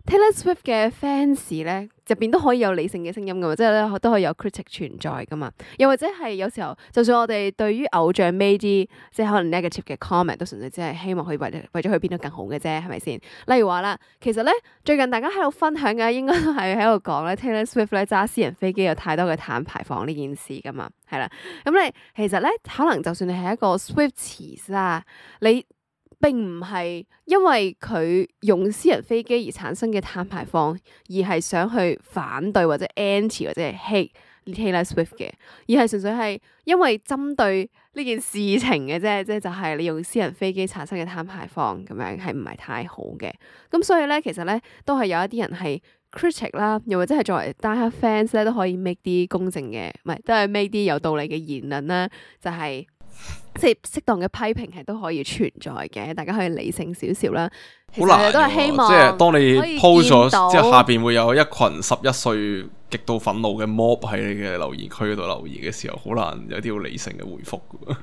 Taylor Swift 嘅 fans 咧入邊都可以有理性嘅聲音噶嘛，即係咧都可以有 critic 存在噶嘛。又或者係有時候，就算我哋對於偶像 made 啲即係可能 negative 嘅 comment，都純粹只係希望佢為為咗佢變得更好嘅啫，係咪先？例如話啦，其實咧最近大家喺度分享嘅應該都係喺度講咧 Taylor Swift 咧揸私人飛機有太多嘅碳排放呢件事噶嘛，係啦。咁你其實咧可能就算你係一個 Swifties 啦，你並唔係因為佢用私人飛機而產生嘅碳排放，而係想去反對或者 anti 或者係 hate Taylor Swift 嘅，而係純粹係因為針對呢件事情嘅啫，即係就係你用私人飛機產生嘅碳排放咁樣係唔係太好嘅。咁所以咧，其實咧都係有一啲人係 critic 啦，又或者係作為 die-hard fans 咧都可以 make 啲公正嘅，唔係都係 make 啲有道理嘅言論啦，就係、是。即係適當嘅批評係都可以存在嘅，大家可以理性少少啦。好難，都係希望即係當你 post 咗之後，下邊會有一群十一歲極度憤怒嘅 mob 喺你嘅留言區嗰度留言嘅時候，好難有啲好理性嘅回覆㗎。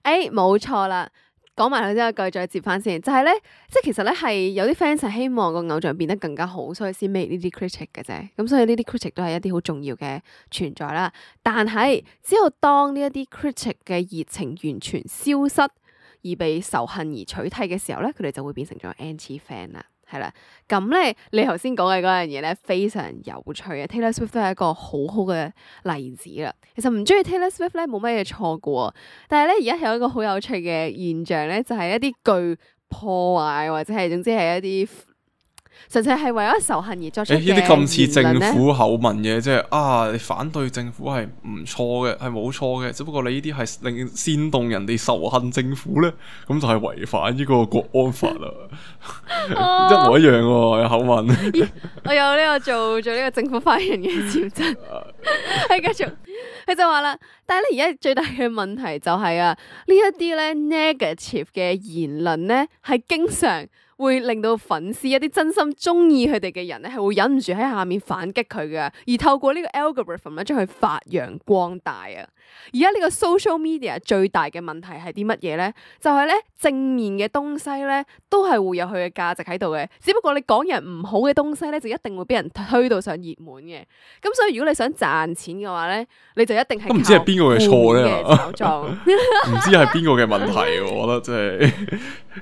誒，冇錯啦。講埋佢之後，句再接翻先，就係咧，即係其實咧係有啲 fans 係希望個偶像變得更加好，所以先 make 呢啲 critic 嘅啫。咁所以呢啲 critic 都係一啲好重要嘅存在啦。但係只有當呢一啲 critic 嘅熱情完全消失，而被仇恨而取替嘅時候咧，佢哋就會變成咗 anti fan 啦。係啦，咁咧你頭先講嘅嗰樣嘢咧非常有趣嘅 Taylor Swift 都係一個好好嘅例子啦。其實唔中意 Taylor Swift 咧冇乜嘢錯嘅，但係咧而家有一個好有趣嘅現象咧，就係、是、一啲具破壞或者係總之係一啲純粹係為咗仇恨而作出嘅言論咧。呢啲咁似政府口吻嘅，即係啊，你反對政府係唔錯嘅，係冇錯嘅，只不過你呢啲係令煽動人哋仇恨政府咧，咁就係違反呢個國安法啦。一模一樣喎，有口吻。我有呢個做做呢個政府發言人嘅潛質。係繼續，佢就話啦，但係咧而家最大嘅問題就係、是、啊，呢一啲咧 negative 嘅言論咧係經常會令到粉絲一啲真心中意佢哋嘅人咧，係會忍唔住喺下面反擊佢嘅，而透過呢個 algorithm 咧，將佢發揚光大啊！而家呢個 social media 最大嘅問題係啲乜嘢咧？就係、是、咧正面嘅東西咧，都係會有佢嘅價值喺度嘅。只不過你講人唔好嘅東西咧，就一定會俾人推到上熱門嘅。咁所以如果你想賺錢嘅話咧，你就一定係都唔知係邊個嘅錯咧，唔知係邊個嘅問題，我覺得真係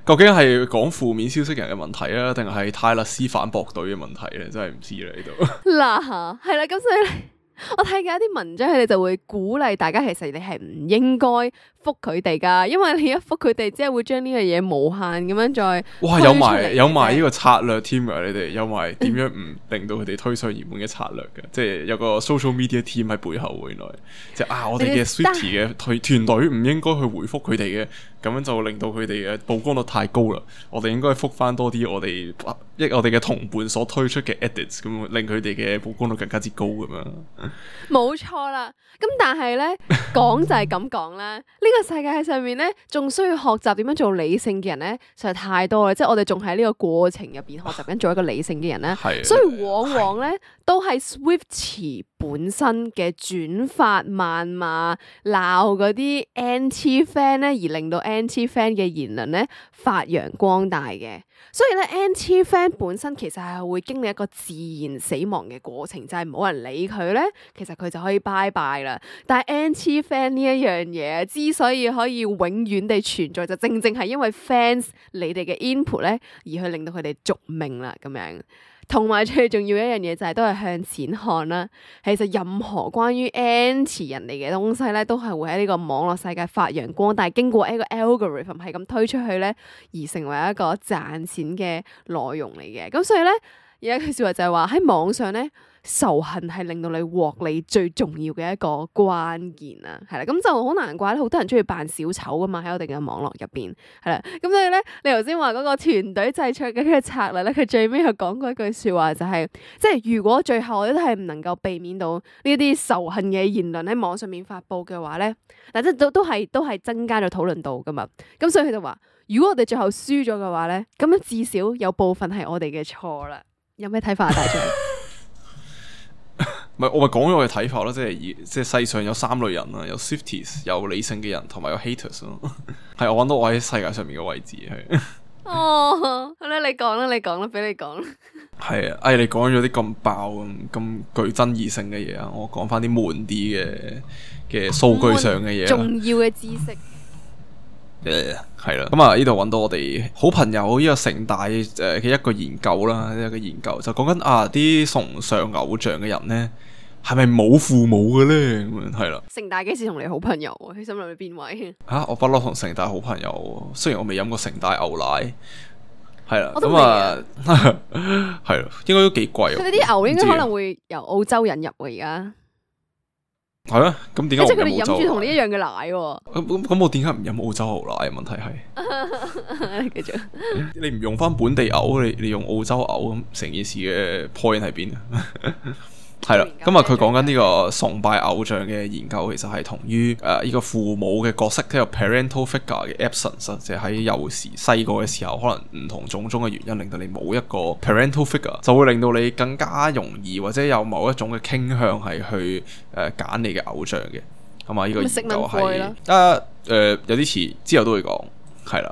究竟係講負面消息人嘅問題啊，定係泰勒斯反駁隊嘅問題咧？真係唔知啦呢度。嗱，係啦，咁所以咧。我睇嘅一啲文章，佢哋就會鼓勵大家，其實你係唔應該覆佢哋噶，因為你一覆佢哋，只係會將呢個嘢無限咁樣再哇，有埋有埋呢個策略添啊！你哋有埋點樣唔令到佢哋推上熱門嘅策略嘅？即係有個 social media team 喺背後，原來即係啊，我哋嘅 Swiftie 嘅團團隊唔應該去回覆佢哋嘅，咁樣就令到佢哋嘅曝光率太高啦。我哋應該覆翻多啲我哋一我哋嘅同伴所推出嘅 edits，咁令佢哋嘅曝光率更加之高咁樣。冇錯啦，咁但係咧講就係咁講啦，呢個世界上面咧仲需要學習點樣做理性嘅人咧，實在太多啦，即係我哋仲喺呢個過程入邊學習緊做一個理性嘅人咧，所以往往咧都係 Swiftie 本身嘅轉發、謾罵、鬧嗰啲 anti fan 咧，而令到 anti fan 嘅言論咧發揚光大嘅。所以咧 anti fan 本身其實係會經歷一個自然死亡嘅過程，就係、是、冇人理佢咧，其實佢就可以拜拜啦。但係 anti fan 呢一樣嘢之所以可以永遠地存在，就正正係因為 fans 你哋嘅 input 咧，而去令到佢哋續命啦咁樣。同埋最重要一樣嘢就係都係向錢看啦。其實任何關於 anti 人哋嘅東西咧，都係會喺呢個網絡世界發揚光大，經過一個 algorithm 係咁推出去咧，而成為一個賺錢嘅內容嚟嘅。咁所以咧，有一句說話就係話喺網上咧，仇恨係令到你獲利最重要嘅一個關鍵啦，係啦，咁就好難怪咧，好多人中意扮小丑噶嘛，喺我哋嘅網絡入邊，係啦，咁所以咧，你頭先話嗰個團隊製作嘅嘅策略咧，佢最尾又講過一句說話，就係即係如果最後我哋都係唔能夠避免到呢啲仇恨嘅言論喺網上面發布嘅話咧，嗱即係都都係都係增加咗討論度噶嘛，咁所以佢就話，如果我哋最後輸咗嘅話咧，咁樣至少有部分係我哋嘅錯啦，有咩睇法啊，大將？唔係，我咪講咗我嘅睇法咯，即係即係世上有三類人啦，有 Swifties，有理性嘅人，同埋有 haters 咯。係我揾到我喺世界上面嘅位置係。哦，好啦，你講啦，你講啦，俾你講啦。係啊，哎，你講咗啲咁爆咁咁具爭議性嘅嘢啊，我講翻啲悶啲嘅嘅數據上嘅嘢，重要嘅知識。誒，係啦，咁啊呢度揾到我哋好朋友呢個城大誒嘅一個研究啦，一個研究就講緊啊啲崇尚偶像嘅人咧，係咪冇父母嘅咧？咁樣係啦。城大幾時同你好朋友啊？佢心諗你邊位？吓、啊，我不嬲同城大好朋友，雖然我未飲過城大牛奶，係啦，咁我都啊係咯，應該都幾貴。佢哋啲牛應該可能會由澳洲引入喎，而家。係啊，咁點解？即係佢哋飲住同你一樣嘅奶喎。咁咁咁，我點解唔飲澳洲牛奶？問題係，繼續。你唔用翻本地牛，你你用澳洲牛，咁成件事嘅 point 喺邊啊？係啦，咁啊，佢講緊呢個崇拜偶像嘅研究，其實係同於誒呢個父母嘅角色，即係 parental figure 嘅 absence，即係喺幼時細個嘅時候，可能唔同種種嘅原因，令到你冇一個 parental figure，就會令到你更加容易或者有某一種嘅傾向係去誒揀、呃、你嘅偶像嘅。咁啊，呢個研究係啊誒有啲詞之後都會講。係啦，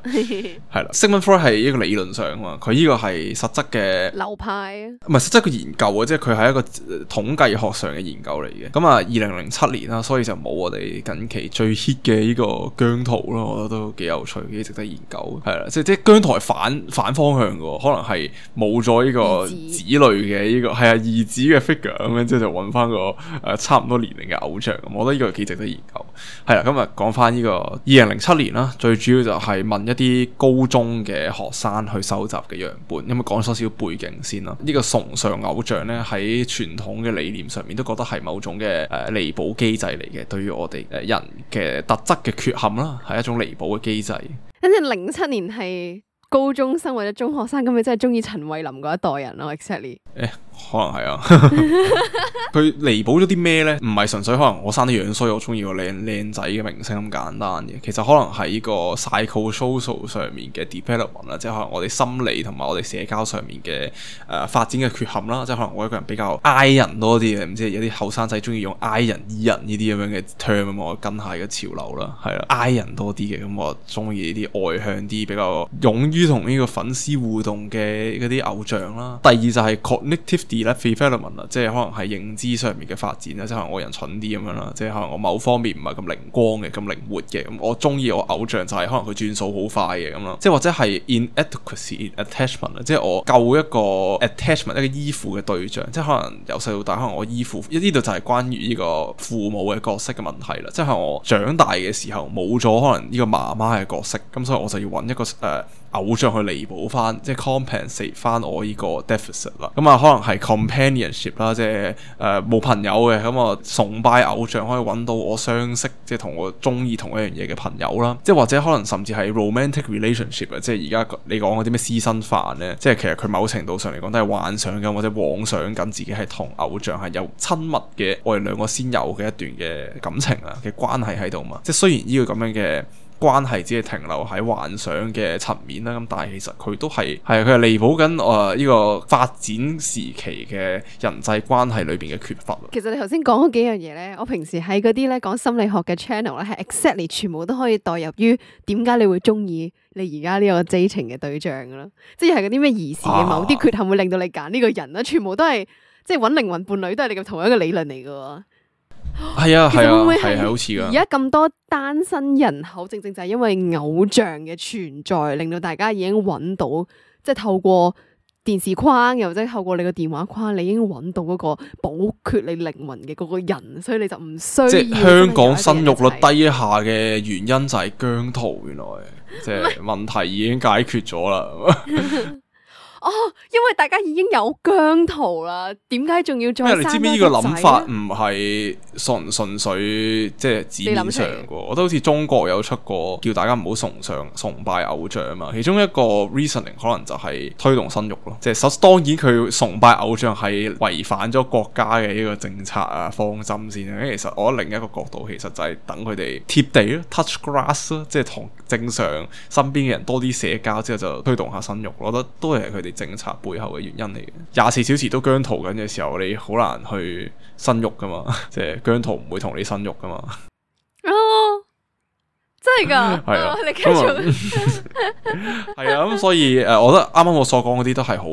係啦 Sigmund Freud 係一個理論上啊嘛，佢呢個係實質嘅流派，唔係實質嘅研究啊，即係佢係一個統計學上嘅研究嚟嘅。咁啊，二零零七年啦，所以就冇我哋近期最 hit 嘅呢個姜濤咯，我覺得都幾有趣，幾值得研究。係啦，即係即係姜濤係反反方向嘅，可能係冇咗呢個子類嘅呢、這個係啊兒子嘅 figure 咁樣，即係就揾翻個誒、呃、差唔多年齡嘅偶像。咁我覺得呢個幾值得研究。係啦，今日講翻呢個二零零七年啦，最主要就係問一啲高中嘅學生去收集嘅樣本，因為講少少背景先啦。呢、這個崇尚偶像咧，喺傳統嘅理念上面都覺得係某種嘅誒彌補機制嚟嘅，對於我哋誒人嘅特質嘅缺陷啦，係一種彌補嘅機制。跟住零七年係高中生或者中學生，咁你真係中意陳慧琳嗰一代人咯 ，exactly。誒，可能係啊。佢彌補咗啲咩咧？唔係純粹可能我生得樣衰，我中意個靚靚仔嘅明星咁簡單嘅。其實可能係呢個 psychosocial 上面嘅 development 啦，即係可能我哋心理同埋我哋社交上面嘅誒、呃、發展嘅缺陷啦。即係可能我一個人比較 I 人多啲嘅，唔知有啲後生仔中意用 I 人 E 人呢啲咁樣嘅 term 咁，我跟下嘅潮流啦，係啦 I 人多啲嘅，咁我中意呢啲外向啲、比較勇於同呢個粉絲互動嘅嗰啲偶像啦。第二就係 cognitive development 啦，即係可能係認知上面嘅發展啦，即係可能我人蠢啲咁樣啦，即係可能我某方面唔係咁靈光嘅、咁靈活嘅，咁我中意我偶像就係可能佢轉數好快嘅咁咯，即係或者係 inadequacy in attachment 啦，即係我夠一個 attachment 一個依附嘅對象，即係可能由細到大可能我依附，呢度就係關於呢個父母嘅角色嘅問題啦，即係我長大嘅時候冇咗可能呢個媽媽嘅角色，咁所以我就要揾一個誒、呃、偶像去彌補翻，即係 compensate 翻我呢個 deficit 啦，咁啊可能係 companionship 啦，即係誒冇朋友嘅，咁我崇拜偶像可以揾到我相識，即係同我中意同一樣嘢嘅朋友啦，即係或者可能甚至係 romantic relationship 啊，即係而家你講嗰啲咩私生飯咧，即係其實佢某程度上嚟講都係幻想緊或者妄想緊自己係同偶像係有親密嘅我哋兩個先有嘅一段嘅感情啊嘅關係喺度嘛，即係雖然呢個咁樣嘅關係只係停留喺幻想嘅層面啦，咁但係其實佢都係係佢係彌補緊誒呢個發展時期嘅人際關係裏邊嘅缺乏。其實你頭先講嗰幾樣嘢咧，我平時喺嗰啲咧講心理學嘅 channel 咧，係 exactly 全部都可以代入於點解你會中意你而家呢個 dating 嘅對象噶啦，即係嗰啲咩兒時嘅某啲缺陷會令到你揀呢個人啦，啊、全部都係即係揾靈魂伴侶都係你嘅同一個理論嚟噶。係啊，係啊，係係好似噶。而家咁多單身人口，正正就係因為偶像嘅存在，令到大家已經揾到，即係透過電視框，又或者透過你個電話框，你已經揾到嗰個補缺你靈魂嘅嗰個人，所以你就唔需要。即係香港生育率低一下嘅原因就係姜濤，原來即係問題已經解決咗啦。哦，因為大家已經有姜濤啦，點解仲要再生？因為你知唔知呢個諗法唔係純純粹即係字面上嘅？我覺得好似中國有出過叫大家唔好崇尚崇拜偶像啊嘛。其中一個 reasoning 可能就係推動生育咯。即係首當然佢崇拜偶像係違反咗國家嘅呢個政策啊方針先啊。其實我覺得另一個角度其實就係等佢哋貼地咯 ，touch grass 咯，即係同正常身邊嘅人多啲社交之後就推動下生育。我覺得都係佢哋政策背後嘅原因嚟嘅。廿四小時都姜濤緊嘅時候，你好難去生育噶嘛，即係姜濤唔會同你生育噶嘛。哦，真係噶，係啊，你繼續。係啊，咁所以誒，我覺得啱啱我所講嗰啲都係好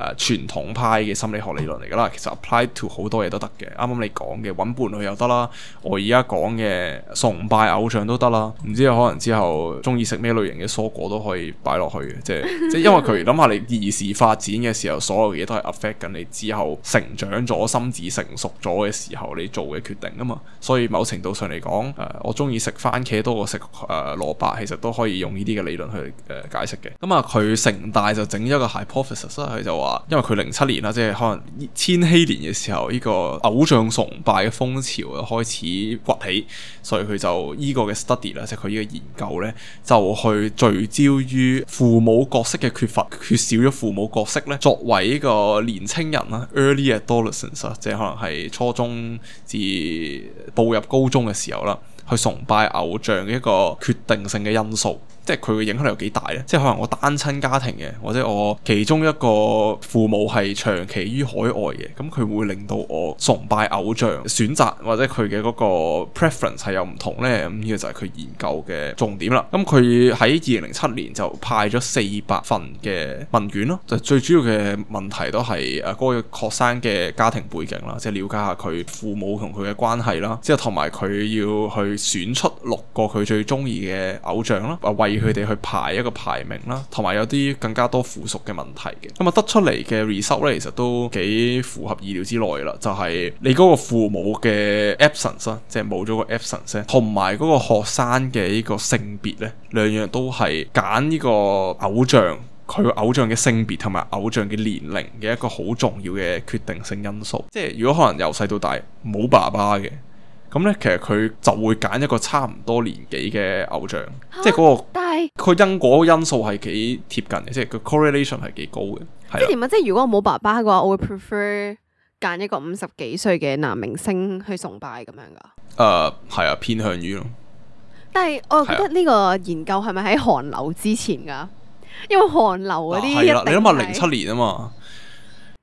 誒傳統派嘅心理學理論嚟噶啦。其實 apply to 好多嘢都得嘅。啱啱你講嘅揾伴侶又得啦，我而家講嘅崇拜偶像都得啦。唔知可能之後中意食咩類型嘅蔬果都可以擺落去嘅，即係即係因為佢諗下你兒時發展嘅時候，所有嘢都係 affect 緊你之後成長咗、心智成熟咗嘅時候你做嘅決定啊嘛。所以某程度上嚟講，誒、呃、我中意食番茄多過食誒蘿蔔，其實都可以用呢啲嘅理論去誒、呃、解釋嘅。咁啊，佢城大就整咗一個 hypothesis，佢就話，因為佢零七年啦，即係可能千禧年嘅時候，呢、這個偶像崇拜嘅風潮就開始崛起，所以佢就呢個嘅 study 啦，即係佢呢個研究咧，就去聚焦於父母角色嘅缺乏，缺少咗父母角色咧，作為呢個年青人啦 ，early adolescence 啊，即係可能係初中至步入高中嘅時候啦，去崇拜偶像嘅一個決定性嘅因素。即係佢嘅影響力有幾大咧？即係可能我單親家庭嘅，或者我其中一個父母係長期於海外嘅，咁佢會令到我崇拜偶像選擇或者佢嘅嗰個 preference 係有唔同咧。咁呢個就係佢研究嘅重點啦。咁佢喺二零零七年就派咗四百份嘅問卷咯，就最主要嘅問題都係誒嗰個學生嘅家庭背景啦，即係了解下佢父母同佢嘅關係啦，之後同埋佢要去選出六個佢最中意嘅偶像啦，啊為佢哋去排一個排名啦，同埋有啲更加多附屬嘅問題嘅。咁啊得出嚟嘅 result 咧，其實都幾符合意料之內啦。就係、是、你嗰個父母嘅 absence 啦，即係冇咗個 absence，同埋嗰個學生嘅呢個性別咧，兩樣都係揀呢個偶像，佢偶像嘅性別同埋偶像嘅年齡嘅一個好重要嘅決定性因素。即係如果可能由細到大冇爸爸嘅，咁咧，其實佢就會揀一個差唔多年紀嘅偶像，啊、即係嗰、那個，但係佢因果因素係幾貼近嘅，即係個 correlation 係幾高嘅。即係點啊？即係如果我冇爸爸嘅話，我會 prefer 揀一個五十幾歲嘅男明星去崇拜咁樣噶。誒，係啊，偏向於咯。但係我覺得呢個研究係咪喺韓流之前噶？因為韓流嗰啲係啦，你諗下零七年啊嘛，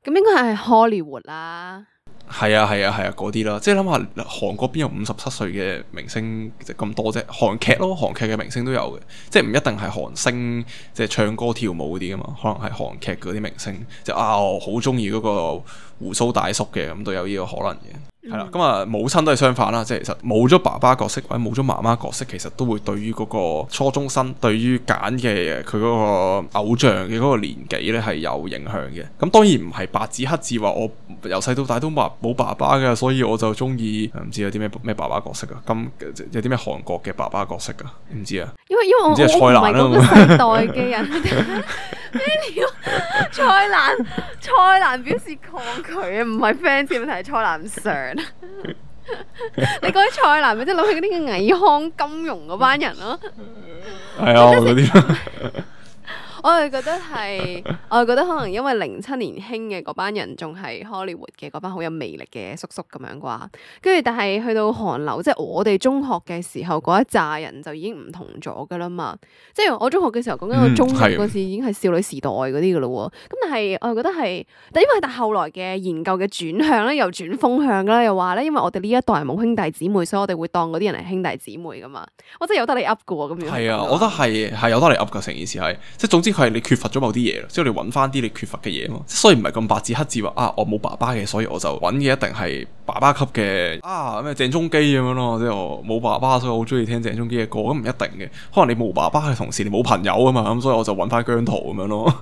咁應該係 Hollywood 啦。係啊係啊係啊嗰啲啦，即係諗下韓國邊有五十七歲嘅明星咁多啫？韓劇咯，韓劇嘅明星都有嘅，即係唔一定係韓星，即係唱歌跳舞嗰啲噶嘛，可能係韓劇嗰啲明星，即係啊我好中意嗰個鬍鬚大叔嘅，咁都有呢個可能嘅。係啦，咁啊、嗯、母親都係相反啦，即係其實冇咗爸爸角色或者冇咗媽媽角色，其實都會對於嗰個初中生對於揀嘅佢嗰個偶像嘅嗰個年紀咧係有影響嘅。咁當然唔係白紙黑字話我由細到大都冇冇爸爸嘅，所以我就中意唔知有啲咩咩爸爸角色啊？咁有啲咩韓國嘅爸爸角色啊？唔知啊？因為因為我我唔係嗰個世代嘅人。咩料？蔡瀾蔡瀾表示抗拒啊，唔係 fans 嘅問題，係蔡瀾上。你講起蔡瀾，咪即係諗起嗰啲嘅倪匡金融嗰班人咯。係啊，嗰啲。我係覺得係，我係覺得可能因為零七年興嘅嗰班人仲係 Hollywood 嘅嗰班好有魅力嘅叔叔咁樣啩，跟住但係去到韓流，即係我哋中學嘅時候嗰一紮人就已經唔同咗噶啦嘛，即係我中學嘅時候講緊我中學嗰時已經係少女時代嗰啲噶咯喎，咁但係我係覺得係，但因為但後來嘅研究嘅轉向咧，又轉風向啦，又話咧，因為我哋呢一代冇兄弟姊妹，所以我哋會當嗰啲人係兄弟姊妹噶嘛，我真係有得你噏噶喎咁樣。係啊，我覺得係係有得你噏噶，成件事係，即係總之。佢係你缺乏咗某啲嘢，即係你揾翻啲你缺乏嘅嘢嘛。所以唔係咁白紙黑字話啊，我冇爸爸嘅，所以我就揾嘅一定係爸爸級嘅啊咩鄭中基咁樣咯。即係我冇爸爸，所以我好中意聽鄭中基嘅歌，咁唔一定嘅。可能你冇爸爸嘅同時，你冇朋友啊嘛，咁所以我就揾翻姜濤咁樣咯。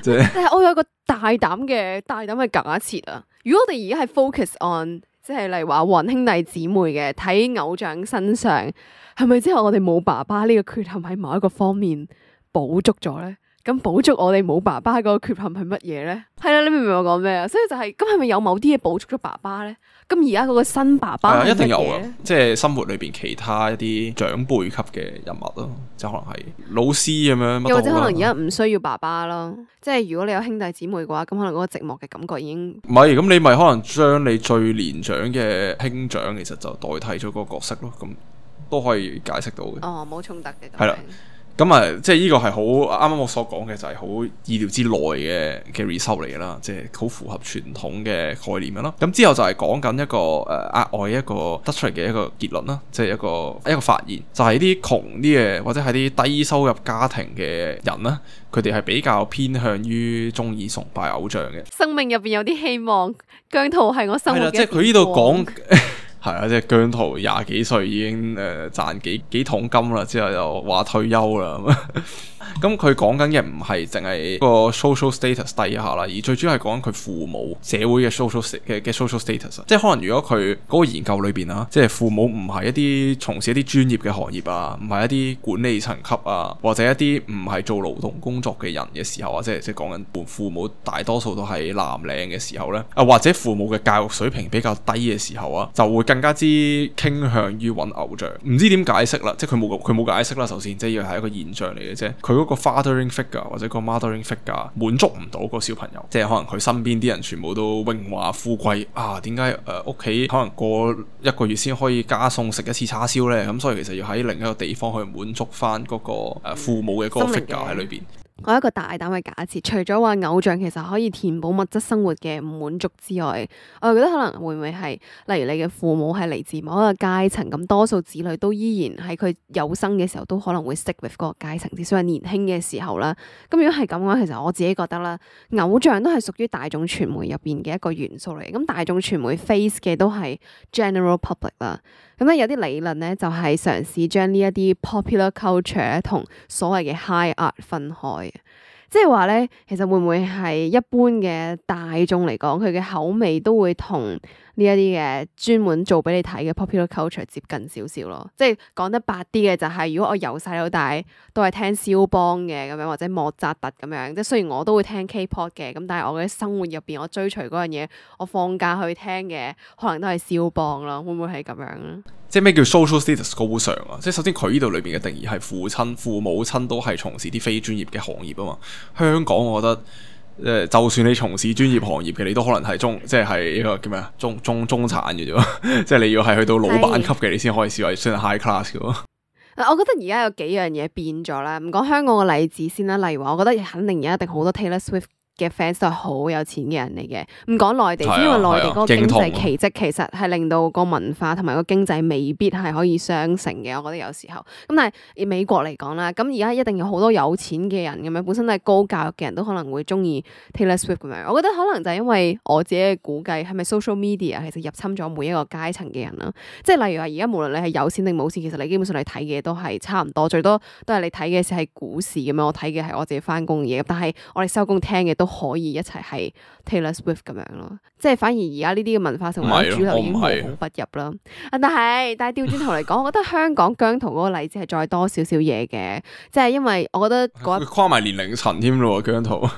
即係，但係我有個大膽嘅大膽嘅假設啊，如果我哋而家係 focus on， 即係例如話黃兄弟姊妹嘅睇偶像身上，係咪之後我哋冇爸爸呢個缺陷喺某一個方面補足咗咧？咁補足我哋冇爸爸嗰個缺陷係乜嘢咧？係啦，你明唔明我講咩啊？所以就係咁，係咪有某啲嘢補足咗爸爸咧？咁而家嗰個新爸爸係一定有啊！即係生活裏邊其他一啲長輩級嘅人物咯，即係可能係老師咁樣，又或者可能而家唔需要爸爸咯。即係如果你有兄弟姊妹嘅話，咁可能嗰個寂寞嘅感覺已經唔係。咁你咪可能將你最年長嘅兄長，其實就代替咗嗰個角色咯。咁都可以解釋到嘅。哦，冇衝突嘅。係啦。咁啊，即係呢個係好啱啱我所講嘅，就係好意料之內嘅嘅 result 嚟嘅啦，即係好符合傳統嘅概念嘅啦。咁之後就係講緊一個誒額外一個得出嚟嘅一個結論啦，即係一個一個發現，就係啲窮啲嘅或者係啲低收入家庭嘅人啦，佢哋係比較偏向於中意崇拜偶像嘅。生命入邊有啲希望，姜濤係我生活嘅。係啦，即係佢呢度講。係啊，即係姜濤廿幾歲已經誒賺幾幾桶金啦，之後又話退休啦。咁佢講緊嘅唔係淨係個 social status 低下啦，而最主要係講緊佢父母社會嘅 social 嘅嘅 social status。即係可能如果佢嗰個研究裏邊啊，即係父母唔係一啲從事一啲專業嘅行業啊，唔係一啲管理層級啊，或者一啲唔係做勞動工作嘅人嘅時候啊，即係即係講緊父母大多數都係藍領嘅時候咧，啊或者父母嘅教育水平比較低嘅時候啊，就會更加之傾向於揾偶像。唔知點解釋啦，即係佢冇佢冇解釋啦。首先，即係要係一個現象嚟嘅啫。佢嗰個 fathering figure 或者個 mothering figure 滿足唔到個小朋友，即係可能佢身邊啲人全部都榮華富貴啊，點解誒屋企可能過一個月先可以加餸食一次叉燒呢？咁所以其實要喺另一個地方去滿足翻嗰個誒父母嘅嗰個 figure 喺裏邊。我有一個大膽嘅假設，除咗話偶像其實可以填補物質生活嘅唔滿足之外，我又覺得可能會唔會係，例如你嘅父母係嚟自某一個階層，咁多數子女都依然喺佢有生嘅時候都可能會 stick with 嗰個階層，至少係年輕嘅時候啦。咁如果係咁嘅話，其實我自己覺得啦，偶像都係屬於大眾傳媒入邊嘅一個元素嚟。咁大眾傳媒 face 嘅都係 general public 啦。咁咧有啲理論咧就係嘗試將呢一啲 popular culture 同所謂嘅 high art 分開，即係話咧，其實會唔會係一般嘅大眾嚟講，佢嘅口味都會同呢一啲嘅專門做俾你睇嘅 popular culture 接近少少咯。即係講得白啲嘅就係、是，如果我由細到大都係聽肖邦嘅咁樣，或者莫扎特咁樣，即係雖然我都會聽 K-pop 嘅，咁但係我嘅生活入邊我追隨嗰樣嘢，我放假去聽嘅可能都係肖邦咯。會唔會係咁樣咧？即係咩叫 social status 高尚啊？即係首先佢呢度裏邊嘅定義係父親、父母親都係從事啲非專業嘅行業啊嘛。香港我覺得誒、呃，就算你從事專業行業嘅，你都可能係中，即係係呢個叫咩啊？中中中產嘅啫，即係你要係去到老闆級嘅，你先可以視為算係 high class 嘅。我覺得而家有幾樣嘢變咗啦。唔講香港嘅例子先啦，例如話，我覺得肯定而家一定好多 Taylor Swift嘅 fans 都係好有錢嘅人嚟嘅，唔講內地，因為內地嗰個經濟奇蹟其實係令到個文化同埋個經濟未必係可以相乘嘅。我覺得有時候咁，但係以美國嚟講啦，咁而家一定有好多有錢嘅人咁樣，本身都係高教育嘅人都可能會中意 Taylor Swift 咁樣。我覺得可能就係因為我自己嘅估計，係咪 social media 其實入侵咗每一個階層嘅人啦？即係例如話，而家無論你係有錢定冇錢，其實你基本上你睇嘅都係差唔多，最多都係你睇嘅係股市咁樣，我睇嘅係我自己翻工嘅嘢，但係我哋收工聽嘅都可以一齊係 Taylor Swift 咁樣咯，即係反而而家呢啲嘅文化成為主流已經無孔不入啦。啊，但係但係調轉頭嚟講，我覺得香港姜濤嗰個例子係再多少少嘢嘅，即係因為我覺得嗰跨埋年齡層添咯，姜濤。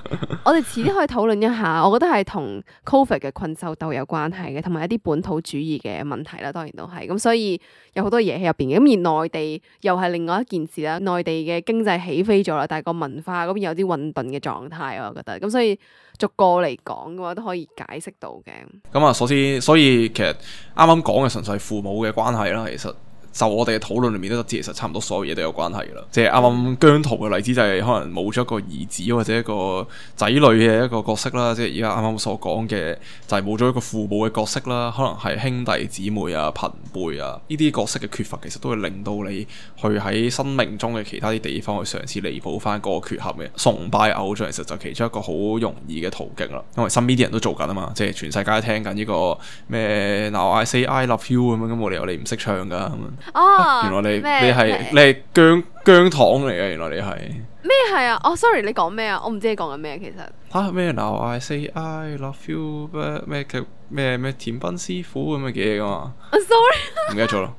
我哋遲啲可以討論一下，我覺得係同 Covid 嘅困獸鬥有關係嘅，同埋一啲本土主義嘅問題啦，當然都係咁，所以有好多嘢喺入邊嘅。咁而內地又係另外一件事啦，內地嘅經濟起飛咗啦，但係個文化嗰邊有啲混沌嘅狀態，我覺得咁，所以逐個嚟講嘅話都可以解釋到嘅。咁啊，首先所以其實啱啱講嘅純粹係父母嘅關係啦，其實就我哋嘅討論裏面都知，其實差唔多所有嘢都有關係噶啦。即係啱啱姜濤嘅例子就係可能冇咗一個兒子或者一個仔女嘅一個角色啦，即係而家啱啱所講嘅就係冇咗一個父母嘅角色啦，可能係兄弟姊妹啊、朋輩啊呢啲角色嘅缺乏，其實都會令到你去喺生命中嘅其他啲地方去嘗試彌補翻嗰個缺陷嘅。崇拜偶像其實就其中一個好容易嘅途徑啦，因為身邊啲人都做緊啊嘛，即係全世界聽緊呢個咩 Now I Say I Love You 咁樣，咁冇理由你唔識唱噶咁樣。哦、啊，原來你咩你係你係姜姜糖嚟嘅，原來你係咩係啊？哦，sorry，你講咩啊？我唔知你講緊咩其實。嚇咩 Now I Say I Love You 咩咩嘅咩咩甜品師傅咁嘅嘢噶嘛？哦，sorry，唔記得咗啦。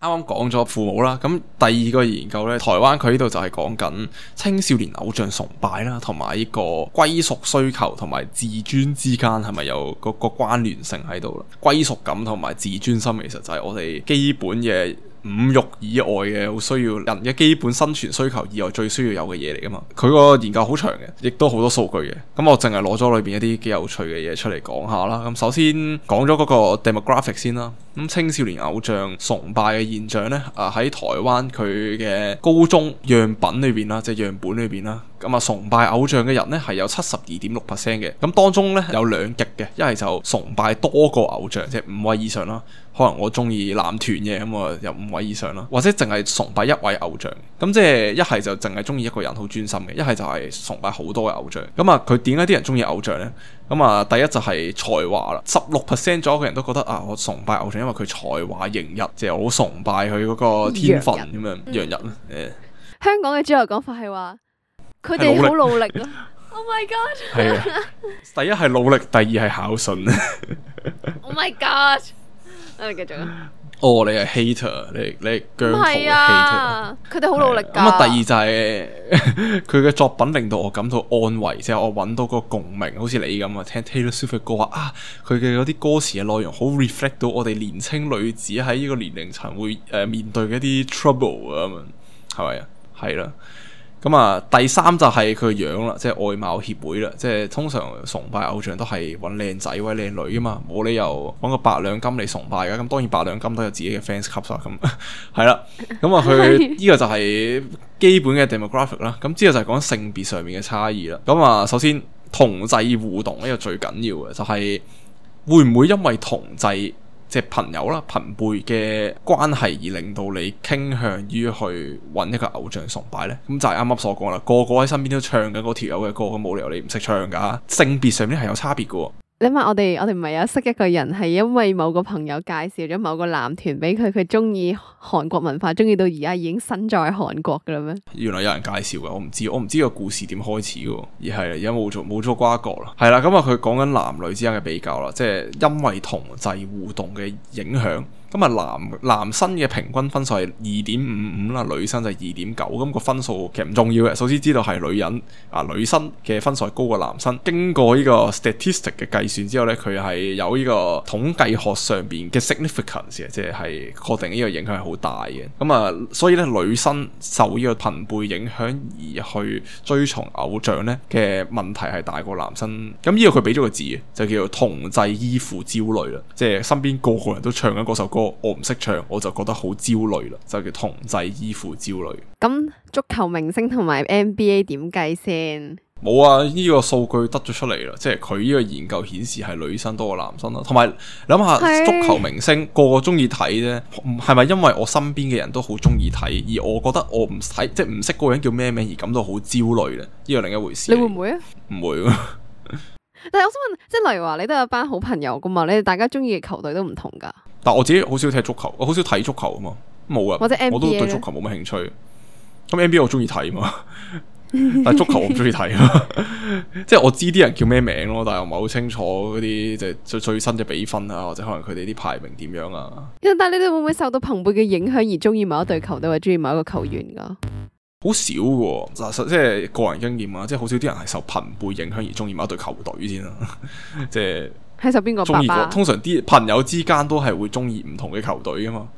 啱啱講咗父母啦，咁第二個研究咧，台灣佢呢度就係講緊青少年偶像崇拜啦，同埋呢個歸屬需求同埋自尊之間係咪有嗰個關聯性喺度啦？歸屬感同埋自尊心其實就係我哋基本嘅五欲以外嘅好需要，人嘅基本生存需求以外最需要有嘅嘢嚟噶嘛。佢個研究好長嘅，亦都好多數據嘅。咁我淨係攞咗裏邊一啲幾有趣嘅嘢出嚟講下啦。咁首先講咗嗰個 demographic 先啦。咁青少年偶像崇拜嘅現象呢，啊喺台灣佢嘅高中樣品裏邊啦，即係樣本裏邊啦。咁啊，崇拜偶像嘅人呢係有七十二點六 percent 嘅。咁當中呢，有兩極嘅，一係就崇拜多個偶像，即係五位以上啦。可能我中意男團嘅，咁我有五位以上啦，或者淨係崇拜一位偶像。咁即係一係就淨係中意一個人好專心嘅，一係就係崇拜好多嘅偶像。咁啊，佢點解啲人中意偶像呢？咁啊，第一就係才華啦，十六 percent 左右嘅人都覺得啊，我崇拜偶像，因為佢才華迎日，即係好崇拜佢嗰個天分咁樣，洋溢。誒，香港嘅主流講法係話，佢哋好努力咯。Oh my god！係啊，第一係努力，第二係孝順。Oh my god！我哋繼續啊。哦，你係 hater，你你係姜濤嘅 hater。佢哋好努力㗎。咁啊，第二就係佢嘅作品令到我感到安慰，即係我揾到個共鳴，好似你咁啊，聽 Taylor Swift 嘅歌話啊，佢嘅嗰啲歌詞嘅內容好 reflect 到我哋年青女子喺呢個年齡層會誒、呃、面對嘅一啲 trouble 啊，咁樣係咪啊？係啦。咁啊，第三就係佢個樣啦，即係外貌協會啦，即係通常崇拜偶像都係揾靚仔或者靚女噶嘛，冇理由揾個八兩金嚟崇拜噶。咁當然八兩金都有自己嘅 fans club 啦，咁係啦。咁啊，佢呢個就係基本嘅 demographic 啦。咁之後就係講性別上面嘅差異啦。咁啊，首先同儕互動呢個最緊要嘅就係會唔會因為同儕即係朋友啦、朋輩嘅關係而令到你傾向於去揾一個偶像崇拜呢？咁就係啱啱所講啦，個個喺身邊都唱緊嗰條友嘅歌，咁冇理由你唔識唱㗎。性別上面係有差別嘅喎。你問我哋，我哋唔係有識一個人係因為某個朋友介紹咗某個男團俾佢，佢中意韓國文化，中意到而家已經身在韓國㗎啦咩？原來有人介紹嘅，我唔知，我唔知個故事點開始嘅，而係而家冇做冇咗瓜葛啦。係啦，咁啊佢講緊男女之間嘅比較啦，即係因為同儕互動嘅影響。咁啊，男男生嘅平均分數係二點五五啦，女生就係二點九。咁個分數其實唔重要嘅，首先知道係女人啊，女生嘅分數係高過男生。經過呢個 statistic 嘅計算之後咧，佢係有呢個統計學上邊嘅 significance 嘅，即係確定呢個影響係好大嘅。咁啊，所以咧女生受呢個朋輩影響而去追從偶像咧嘅問題係大過男生。咁呢個佢俾咗個字嘅，就叫做同儕依附焦慮啦，即係身邊個個人都唱緊嗰首歌。我唔識唱，我就覺得好焦慮啦，就叫同儕依附焦慮。咁足球明星同埋 N B A 點計先？冇啊，呢、這個數據得咗出嚟啦，即係佢呢個研究顯示係女生多過男生啦。同埋諗下足球明星個個中意睇啫，係咪因為我身邊嘅人都好中意睇，而我覺得我唔睇，即係唔識嗰個人叫咩名而感到好焦慮咧？呢個另一回事。你會唔會啊？唔會。但係我想問，即係例如話你都有班好朋友噶嘛？你哋大家中意嘅球隊都唔同噶。但我自己好少踢足球，我好少睇足球啊嘛，冇啊，或者 N B A 我都對足球冇乜興趣。咁 N B A 我中意睇嘛，但係足球我唔中意睇啊。即係我知啲人叫咩名咯，但係我唔係好清楚嗰啲即係最最新嘅比分啊，或者可能佢哋啲排名點樣啊。但係你哋會唔會受到朋輩嘅影響而中意某一隊球隊或者中意某一個球員噶？好少嘅，嗱，即係個人經驗啊，即係好少啲人係受朋輩影響而中意某一隊球隊先啦。即係係受邊個爸爸？通常啲朋友之間都係會中意唔同嘅球隊噶嘛，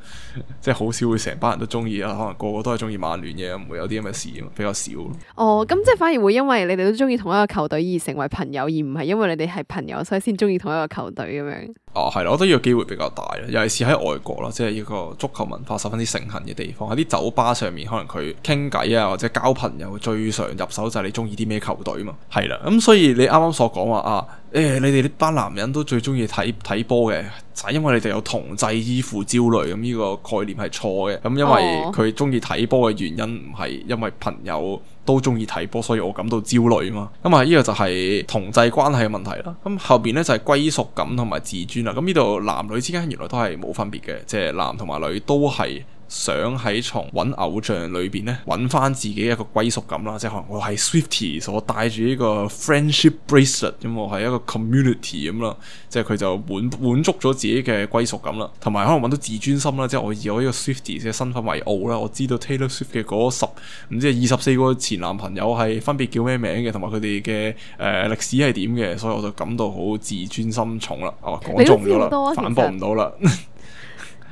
即係好少會成班人都中意啊。可能個個都係中意曼聯嘅，唔會有啲咁嘅事，比較少。哦，咁即係反而會因為你哋都中意同一個球隊而成為朋友，而唔係因為你哋係朋友所以先中意同一個球隊咁樣。哦，係啦，我覺得呢個機會比較大啦，尤其是喺外國啦，即係呢個足球文化十分之盛行嘅地方，喺啲酒吧上面，可能佢傾偈啊或者交朋友最常入手就係你中意啲咩球隊嘛，係啦，咁、嗯、所以你啱啱所講話啊，誒、欸、你哋呢班男人都最中意睇睇波嘅，就係、是、因為你哋有同儕依附焦慮，咁、嗯、呢、這個概念係錯嘅，咁、嗯、因為佢中意睇波嘅原因唔係因為朋友都中意睇波，所以我感到焦慮嘛。咁啊，呢個就係同儕關係嘅問題啦。咁後邊咧就係歸屬感同埋自尊啦。咁呢度男女之間原來都係冇分別嘅，即係男同埋女都係想喺從揾偶像裏邊咧揾翻自己一個歸屬感啦。即係可能我係 Swifties，我帶住呢個 friendship bracelet，咁我係一個 community 咁啦。即係佢就滿滿足咗自己嘅歸屬感啦，同埋可能揾到自尊心啦。即係我以我呢個 Swifties 嘅身份為傲啦。我知道 Taylor Swift 嘅嗰十唔知係二十四個前男朋友係分別叫咩名嘅，同埋佢哋嘅誒歷史係點嘅，所以我就感到好自尊心重啦。哦，講中咗啦，反駁唔到啦。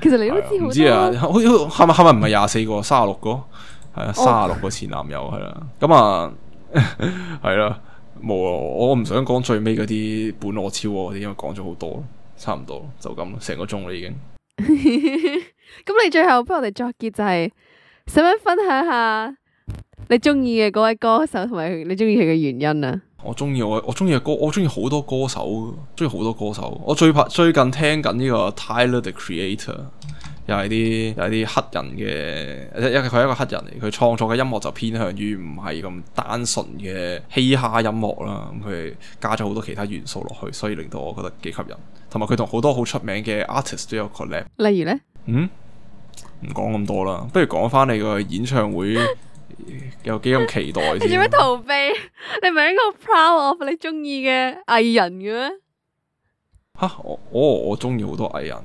其實你都知好多。唔知啊，好係咪係咪唔係廿四個，三十六個，係啊，三十六個前男友係啦。咁啊，係啦，冇啊，我唔想講最尾嗰啲本我超我嗰啲，因為講咗好多，差唔多就咁，成個鐘啦已經。咁你最後幫我哋作結就係、是，使唔使分享下你中意嘅嗰位歌手同埋你中意佢嘅原因啊？我中意我我中意嘅歌，我中意好多歌手，中意好多歌手。我最拍最近聽緊呢個 Tyler the Creator，又係啲又係啲黑人嘅，因為佢係一個黑人嚟，佢創作嘅音樂就偏向於唔係咁單純嘅嘻哈音樂啦。咁佢加咗好多其他元素落去，所以令到我覺得幾吸引。同埋佢同好多好出名嘅 artist 都有 collab。例如咧？嗯，唔講咁多啦，不如講翻你個演唱會。有幾咁期待先？你做咩逃避？你唔係應該 proud of 你中意嘅藝人嘅咩？吓，我我我中意好多藝人嘅。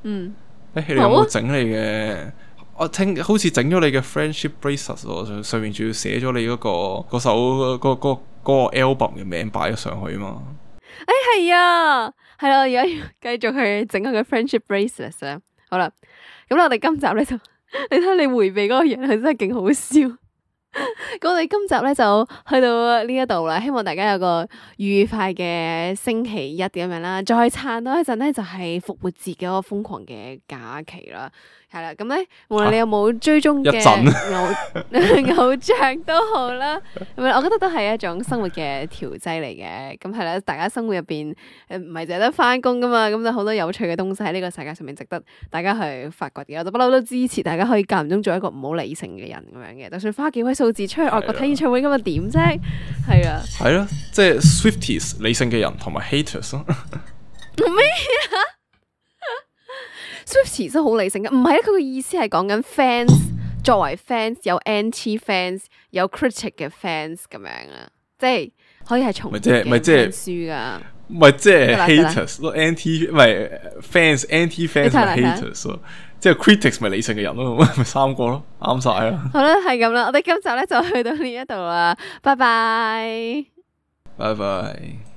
嗯，誒、欸，你有冇整你嘅？我聽好似整咗你嘅 friendship bracelet，上面仲要寫咗你嗰、嗰個嗰首嗰嗰嗰個 album 嘅名擺咗上去啊嘛。誒，係啊，係啦，我而家要繼續去整我嘅 friendship bracelet 啦。好啦，咁我哋今集咧就。你睇你回避嗰個樣，係真係勁好笑。咁我哋今集咧就去到呢一度啦，希望大家有個愉快嘅星期一咁樣啦。再撐多一陣咧，就係復活節嘅嗰個瘋狂嘅假期啦。係啦，咁咧無論你有冇追蹤嘅偶偶像都好啦，咁我覺得都係一種生活嘅調劑嚟嘅。咁係啦，大家生活入邊誒唔係淨係得翻工噶嘛，咁就好多有趣嘅東西喺呢個世界上面值得大家去發掘嘅。我就不嬲都支持大家可以間唔中做一個唔好理性嘅人咁樣嘅，就算花幾位數字出去外國睇演唱會咁又點啫？係啊，係咯，即係 Swifties 理性嘅人同埋 haters 咯。咩啊？Swifties 都好理性嘅，唔係咧，佢嘅意思係講緊 fans 作為 fans 有 anti fans 有 critic 嘅 fans 咁樣啊，即係可以係重複嘅睇書噶，唔係即係 haters 咯 ，anti 唔係 fans anti fans 同 haters 咯，即係 critics 咪理性嘅人咯，咪三個咯，啱晒啦。好啦，係咁啦，我哋今集咧就去到呢一度啦，拜拜，拜拜。